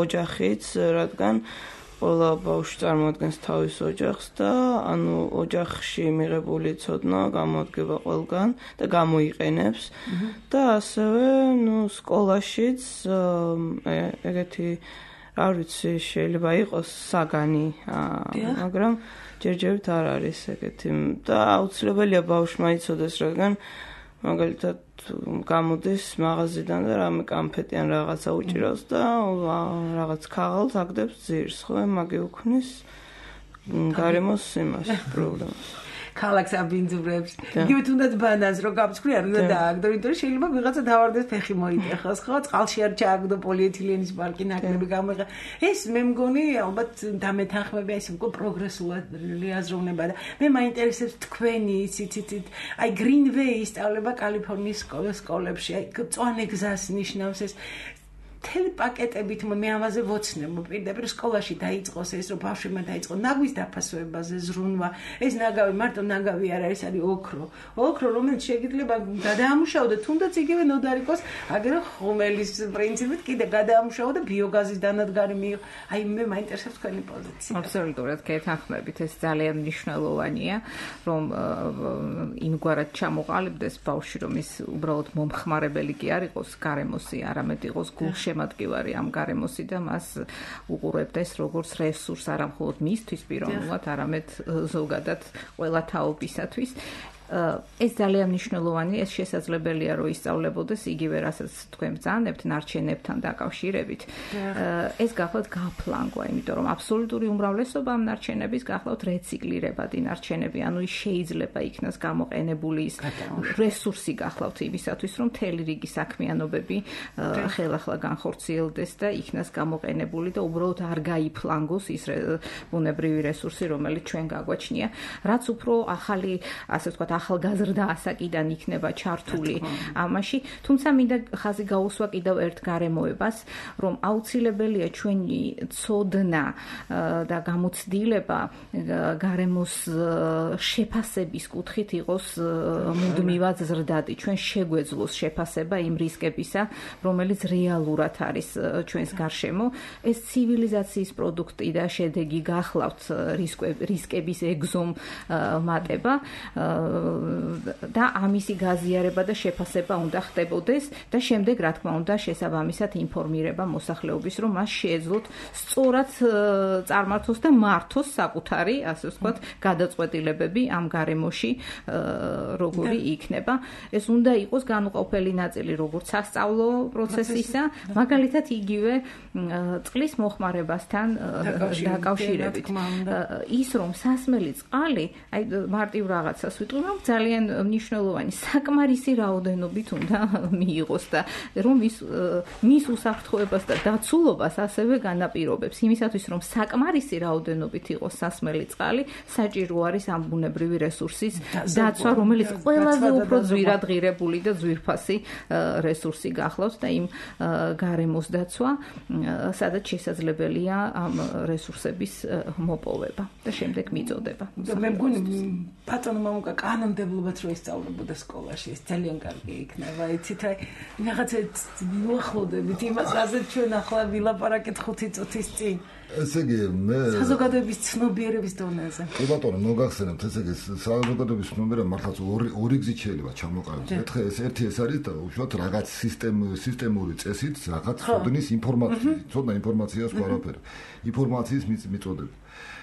ოჯახიც, რადგან ყველა ბავშვი წარმოადგენს თავის ოჯახს და ანუ ოჯახში მიღებული ცოდნა გამოადგება ყველგან და გამოიყენებს და ასევე სკოლაშიც ეგეთი არ ვიცი, შეიძლება იყოს საგანი, მაგრამ ჯერჯერობით არ არის ეგეთი და აუცილებელია ბავშვმა იცოდეს, რადგან მაგალითად გამოდის მაღაზიიდან და რამე კამფეტი ან რაღაცა უჭირავს და რაღაც ქაღალდს აგდებს ძირს, ხო, მაგი უქმნის გარემოს იმას პრობლემას. ქალაქს აბინძურებს. იგივე თუნდაც ბანანს რო გამწვრი არ უნდა დააგდო, იმიტომ რომ შეიძლება ვიღაცა დავარდეს ფეხი მოიტეხოს, ხო? წყალში არ ჩააგდო პოლიეთილენის ბალკი ნაკლები გამოიღა. ეს მე მგონი ალბათ დამეთანხმებია ეს უკვე პროგრესული აზროვნება და მე მაინტერესებს თქვენი იცით, აი Greenway ისწავლება კალიფორნიის სკოლებში, აი წვანე გზას ნიშნავს ეს მთელი პაკეტებით მე ამაზე ვოცნებ, პირდაპირ სკოლაში დაიწყოს ეს, რომ ბავშვებმა დაიწყო ნაგვის დაფასებაზე ზრუნვა. ეს ნაგავი მარტო ნაგავი არ არის, არის ოქრო, რომელიც შეიძლება გადაამუშავო და თუნდაც იგივე ნოდარიკოს, აგერ ხომელის პრინციპით კიდე გადაამუშავო და ბიოგაზის დანადგარი მიიღო. აი მე მაინტერესებს თქვენი პოზიცია. აბსოლუტურად გეთანხმებით, ეს ძალიან მნიშვნელოვანია, რომ იმგვარად ჩამოყალიბდეს ბავშვი, რომ ის უბრალოდ მომხმარებელი კი არ იყოს გარემოსი, არამედ იყოს გულში შემატკივარი ამ გარემოსი და მას უყურებდეს როგორც რესურს არა მხოლოდ მისთვის პიროვნულად, არამედ ზოგადად ყველა თაობისათვის. ეს ძალიან მნიშვნელოვანი, ეს შესაძლებელია რომ ისწავლებოდეს იგივე რასაც თქვენ ბრძანებთ ნარჩენებთან დაკავშირებით. ეს გახლავთ გაფლანგვა, იმიტომ რომ აბსოლუტური უმრავლესობა ამ ნარჩენების გახლავთ რეციკლირებადი ნარჩენები, ანუ ის შეიძლება იქნას გამოყენებული ის რესურსი გახლავთ იმისათვის, რომ მთელი რიგი საქმიანობები ხელახლა განხორციელდეს და იქნას გამოყენებული და უბრალოდ არ გაიფლანგოს ის ბუნებრივი რესურსი, რომელიც ჩვენ გაგვაჩნია, რაც უფრო ახალი, ასე ვთქვათ, ახალგაზრდა ასაკიდან იქნება ჩართული ამაში, თუმცა მინდა ხაზი გაუსვა კიდევ ერთ გარემოებას, რომ აუცილებელია ჩვენი ცოდნა და გამოცდილება გარემოს შეფასების კუთხით იყოს მუდმივად ზრდადი. ჩვენ შეგვეძლოს შეფასება იმ რისკებისა, რომელიც რეალურად არის ჩვენს გარშემო. ეს ცივილიზაციის პროდუქტი და შედეგი გახლავთ რისკების ეგზომატება და ამისი გაზიარება და შეფასება უნდა ხდებოდეს და შემდეგ რა თქმა უნდა შესაბამისად ინფორმირება მოსახლეობის, რომ მას შეეძლოთ სწორად წარმართოს და მართოს საკუთარი, ასე ვთქვათ, გადაწყვეტილებები ამ გარემოში როგორი იქნება. ეს უნდა იყოს განუყოფელი ნაწილი როგორც სასწავლო პროცესისა, მაგალითად იგივე წყლის მოხმარებასთან დაკავშირებით. ის რომ სასმელი წყალი, აი მარტივ რაღაცას ვიტყვი, რომ ძალიან მნიშვნელოვანი საკმარისი რაოდენობით უნდა მიიღოს და რომ მის უსაფრთხოებას და დაცულობას ასევე განაპირობებს. იმისათვის რომ საკმარისი რაოდენობით იყოს სასმელი წყალი, საჭირო არის ამ ბუნებრივი რესურსის დაცვა, რომელიც ყველაზე უფრო ძვირადღირებული და ძვირფასი რესურსი გახლავთ და იმ გარემოს დაცვა, სადაც შესაძლებელია ამ რესურსების მოპოვება და შემდეგ მიწოდება. მე მგონი ბატონო მამუკა კანონმდებლობაც რო ისწავლებოდა სკოლაში, ეს ძალიან კარგი იქნება. იცით, აი რაღაცა მიუახლოვდებით იმას, რაზეც ჩვენ ახლა ვილაპარაკეთ 5 წუთის წინ. ესე იგი, მე საზოგადოების ცნობიერების დონეზე. კი ბატონო, მოგახსენებთ, ესე იგი, საზოგადოების ცნობიერება მართლაც ორი გზით შეიძლება ჩამოყალიბდეს. ერთხელ ერთი ეს არის და უშუალოდ რაღაც სისტემური წესით რაღაც ცოდნის ცოდნა ინფორმაციას ვარაფერი. ინფორმაციის მიწოდები.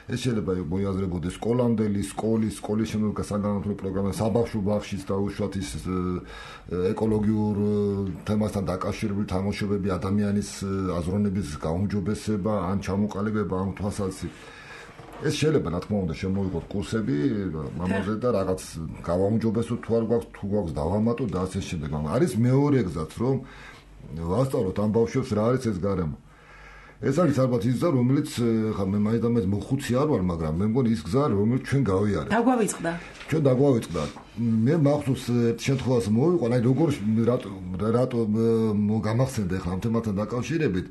ეს შეიძლება მოიაზრებოდეს სკოლამდელი, სკოლის შემდგომ საგანმანათლებლო პროგრამა, საბავშვო ბაღშიც და უშუალოდ ის ეკოლოგიურ თემასთან დაკავშირებული თამაშობები, ადამიანის აზროვნების გაუმჯობესება, ან ჩამოყალიბება ამ თვალსაზრისით. ეს შეიძლება, რა თქმა უნდა, შემოიღოთ კურსები ამაზე და რაღაც გავაუმჯობესოთ თუ არ გვაქვს, თუ გვაქვს დავამატოთ და ასე შემდეგ. არის მეორე გზაც, რომ ვასწავლოთ ამ ბავშვებს რა არის ეს გარემო. ეს არის ალბათ ის გზა, რომელიც ხა მე მაინც მოხუცი არ ვარ, მაგრამ მე მგონი ის გზა, რომელიც ჩვენ გავიარეთ. დაგვავიწყდა. ჩვენ დაგვავიწყდა. მე მახსოვს ერთ შემთხვევას მოვიყვან, აი როგორ რატო გამახსენდა ახლა ამ თემასთან დაკავშირებით,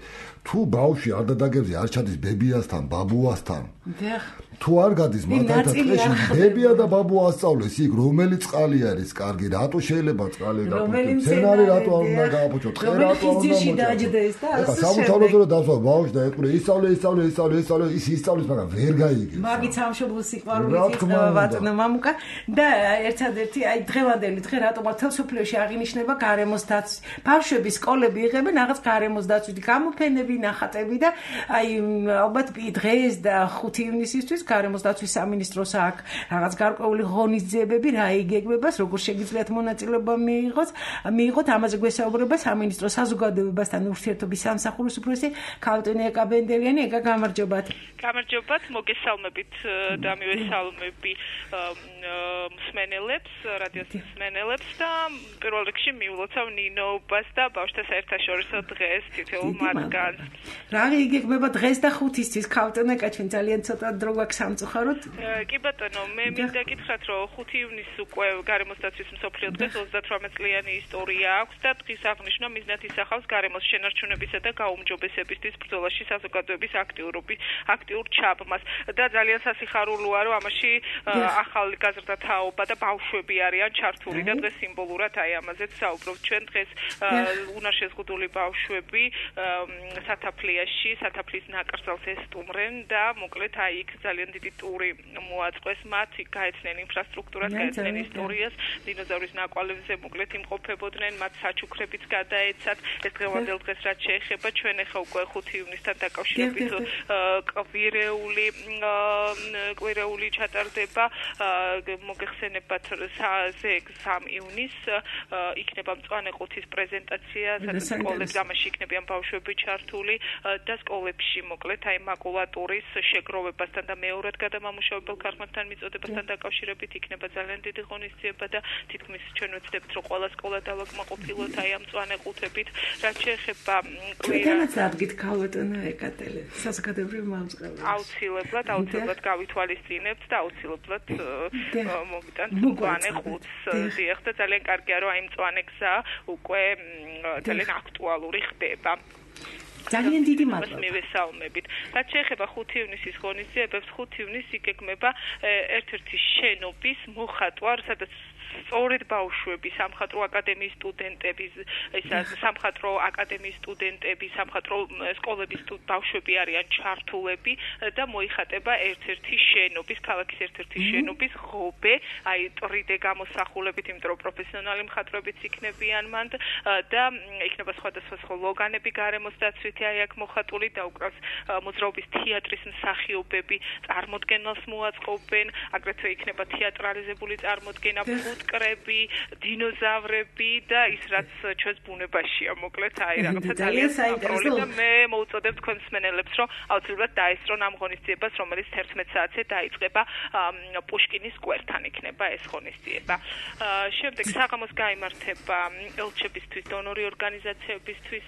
თუ ბავშვი არ დადაგებზე არ ჩადის ბებიასთან, ბაბუასთან. თუ არ გადის მათთან ტყეში, ბებია და ბაბუა ასწავლეს იქ, რომელი წყალი არის კარგი, რატო შეიძლება წყალი გაფუჭოს, მცენარე რატო არ უნდა გააფუჭოს, ტყე რატო არ უნდა დაჯდეს და ასე სამთავრობო დასვა ბავშვი და ეყურე ისწავლე, ის ისწავლის, მაგრამ ვერ გაიგებს. მაგით სამშობლო სიყვარულით იწყება ბატონო მამუკა და ერთადერთი აი დღევანდელი დღე რატომ თელ სოფლიოში აღინიშნება გარემოს დაცვის. ბავშვები სკოლები იღებენ რაღაც გარემოს დაცვითი გამოფენები, ნახატები და აი ალბათ დღეს და 5 ივნისისთვის გარემოს დაცვის სამინისტროს აქ რაღაც გარკვეული ღონისძიებები რა იგეგმებას, როგორ შეგიძლიათ მონაწილეობა მიიღოთ, ამაზე გვესაუბრება სამინისტრო საზოგადოებასთან ურთიერთობის სამსახურის უფროსი ქალტონი ეკაბენდელიანი. ეკა გამარჯობათ. გამარჯობათ, მოგესალმებით და მივესალმები მსმენელებს, რადიოს მსმენელებს და პირველ რიგში მიულოცავ ნინოობას და ბავშვთა საერთაშორისო დღეს თითოეულ მათგანს. რა იგეგმება დღეს და 5-ისთვის ქალტონი ეკა, ჩვენ ძალიან ცოტა დრო გვაქვს სამწუხაროდ. კი ბატონო, მე მინდა გითხრათ, რომ 5 ივნისს უკვე გარემოს დაცვის მსოფლიო დღეს 38 წლიანი ისტორია აქვს და დღის აღნიშვნა მიზნად ისახავს გარემოს შენარჩუნებისა და გაუმჯობესებისთვის ბრძოლაში საზოგადოების აქტიურ ჩაბმას და ძალიან სასიხარულოა, რომ ამაში ახალი გაზრდა თაობა და ბავშვები არიან ჩართული და დღეს სიმბოლურად აი ამაზეც საუბრობთ. ჩვენ დღეს უნარშეზღუდული ბავშვები სათაფლიის ნაკრძალს ესტუმრენ და მოკლედ აი იქ ძალიან დიდი ტური მოაწყვეს მათ, გაეცნენ ინფრასტრუქტურას, გაეცნენ ისტორიას, დინოზავრის ნაკვალევზე მოკლედ იმყოფებოდნენ, მათ საჩუქრებიც გადაეცათ. ეს დღევანდელ დღეს რაც შეეხება, ჩვენ ახლა უკვე 5 ივნისთან დაკავშირებით კვირეული ჩატარდება მოგეხსენებათ 3 ივნისს იქნება მწვანე ყუთის პრეზენტაცია, სადაც სკოლებს ამაში იქნებიან ბავშვები ჩართული და სკოლებში მოკლედ აი მაკულატურის შეგროვებასთან და მეორად გადამამუშავებელ ქარხნებთან მიწოდებასთან დაკავშირებით იქნება ძალიან დიდი ღონისძიება და თითქმის ჩვენ ვეცდებთ, რომ ყველა სკოლა დავაკმაყოფილოთ აი ამ მწვანე ყუთებით, რაც შეეხება კვირას ადგით ქალბატონო ეკატელე საზოგადოებრივ მომწყობლებს. აუცილებლად გავითვალისწინებთ და აუცილებლად მოგიტანთ მწვანე ყუთს. დიახ და ძალიან კარგია, რომ აი მწვანე გზა უკვე ძალიან აქტუალური ხდება. ძალიან დიდი მადლობა. მივესალმებით. რაც შეეხება 5 ივნისის ღონისძიებებს, 5 ივნისს იგეგმება ერთ-ერთი შენობის მოხატვა, სადაც სწორედ ბავშვები, სამხატვრო აკადემიის სტუდენტები, სამხატვრო აკადემიის სტუდენტები, სამხატვრო სკოლების ბავშვები არიან ჩართულები და მოიხატება ერთ-ერთი შენობის, ქალაქის ერთ-ერთი შენობის ღობე, აი 3D გამოსახულებით, იმიტომ რომ პროფესიონალი მხატვრებიც იქნებიან მანდ და იქნება სხვადასხვა სლოგანები გარემოს დაცვითი აი აქ მოხატული და უკრავს მოძრაობის თეატრის მსახიობები წარმოდგენას მოაწყობენ, აგრეთვე იქნება თეატრალიზებული წარმოდგენა კრები, დინოზავრები და ის რაც ჩვენს ბუნებაშია, მოკლედ აი რაღაცა ძალიან საინტერესო და მე მოუწოდებ თქვენს მსმენელებს, რომ აუცილებლად დაესწრონ ამ ღონისძიებას, რომელიც 11 საათზე დაიწყება პუშკინის სკვერთან იქნება ეს ღონისძიება. შემდეგ საღამოს გაიმართება ელჩებისთვის, დონორი ორგანიზაციებისთვის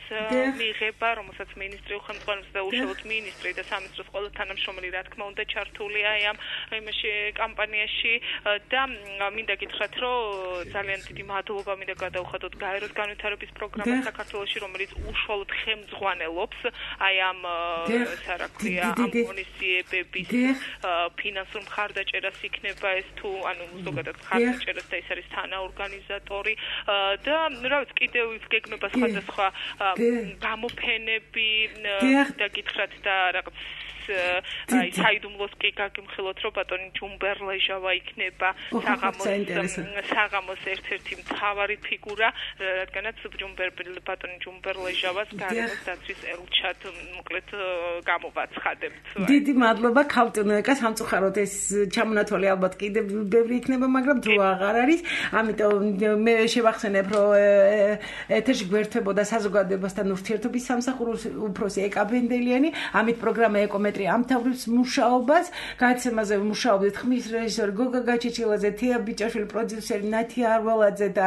მიღება, რომელსაც მინისტრი უხელმძღვანელობს და უშუალოდ მინისტრი და სამინისტროს ყველა თანამშრომელი რა თქმა უნდა ჩართულია აი ამ იმაში კამპანიაში და მინდა გითხრათ, რომ ძალიან დიდი მადლობა მინდა გადავხადოთ გაეროს განვითარების პროგრამას საქართველოში, რომელიც უშუალოდ ხელმძღვანელობს აი ამ სარაქვია ამ ღონისძიებების ფინანსურ მხარდაჭერას იქნება ეს თუ ანუ ზოგადად მხარდაჭერას და ის არის თანაორგანიზატორი და რა ვიცი კიდევ გეგმება სხვადასხვა გამოფენები და გითხრათ და რაღაც აი საიდუმლოს კი გაგიმხილოთ, რომ ბატონი ჯუმბერლეჟავა იქნება საღამოს ერთ-ერთი მთავარი ფიგურა, რადგანაც ბატონი ჯუმბერლეჟავას გარემოს დაცვის ელჩად მოკლედ გამოვაცხადებთ. დიდი მადლობა ქალბატონო ეკა, სამწუხაროდ ეს ჩამონათვალი ალბათ კიდევ ბევრი იქნება, მაგრამ დრო აღარ არის. ამიტომ მე შევახსენებ, რომ ეთერში გვერდებოდა საზოგადოებასთან ურთიერთობის სამსახურის უფროსი ეკა ბენდელიანი, ამით პროგრამა ეკომეტრი ამთავრებს მუშაობას, გადაცემაზე მუშაობდით ხმის რეჟისორი გოგა გაჩეჩილაძე, თია ბიჭაშვილი, პროდიუსერი ნათია არვალაძე და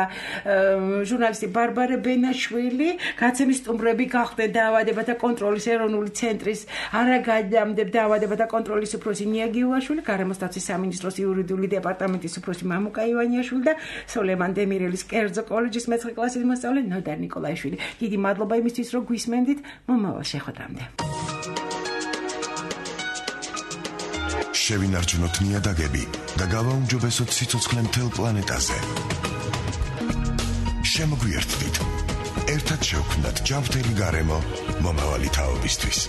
ჟურნალისტი ბარბარე ბენაშვილი. გადაცემის სტუმრები გახდნენ დაავადებათა კონტროლის ეროვნული ცენტრის არაგადამდებ დაავადებათა კონტროლის უფროსი ნია გიუაშვილი, გარემოს დაცვის სამინისტროს იურიდიული დეპარტამენტის უფროსი მამუკა ივანიაშვილი და სოლემან დემირელის კერძო კოლეჯის მე-9 კლასის მოსწავლე ნოდარ ნიკოლაიშვილი. დიდი მადლობა იმისთვის, რომ გვისმენდით. მომავალ შეხვედრამდე. შევინარჩუნოთ ნიადაგები და გავაუმჯობესოთ სიცოცხლე მთელ პლანეტაზე. შემოგვიერთდით. ერთად შევქმნათ ჯანმრთელი გარემო მომავალი თაობისთვის.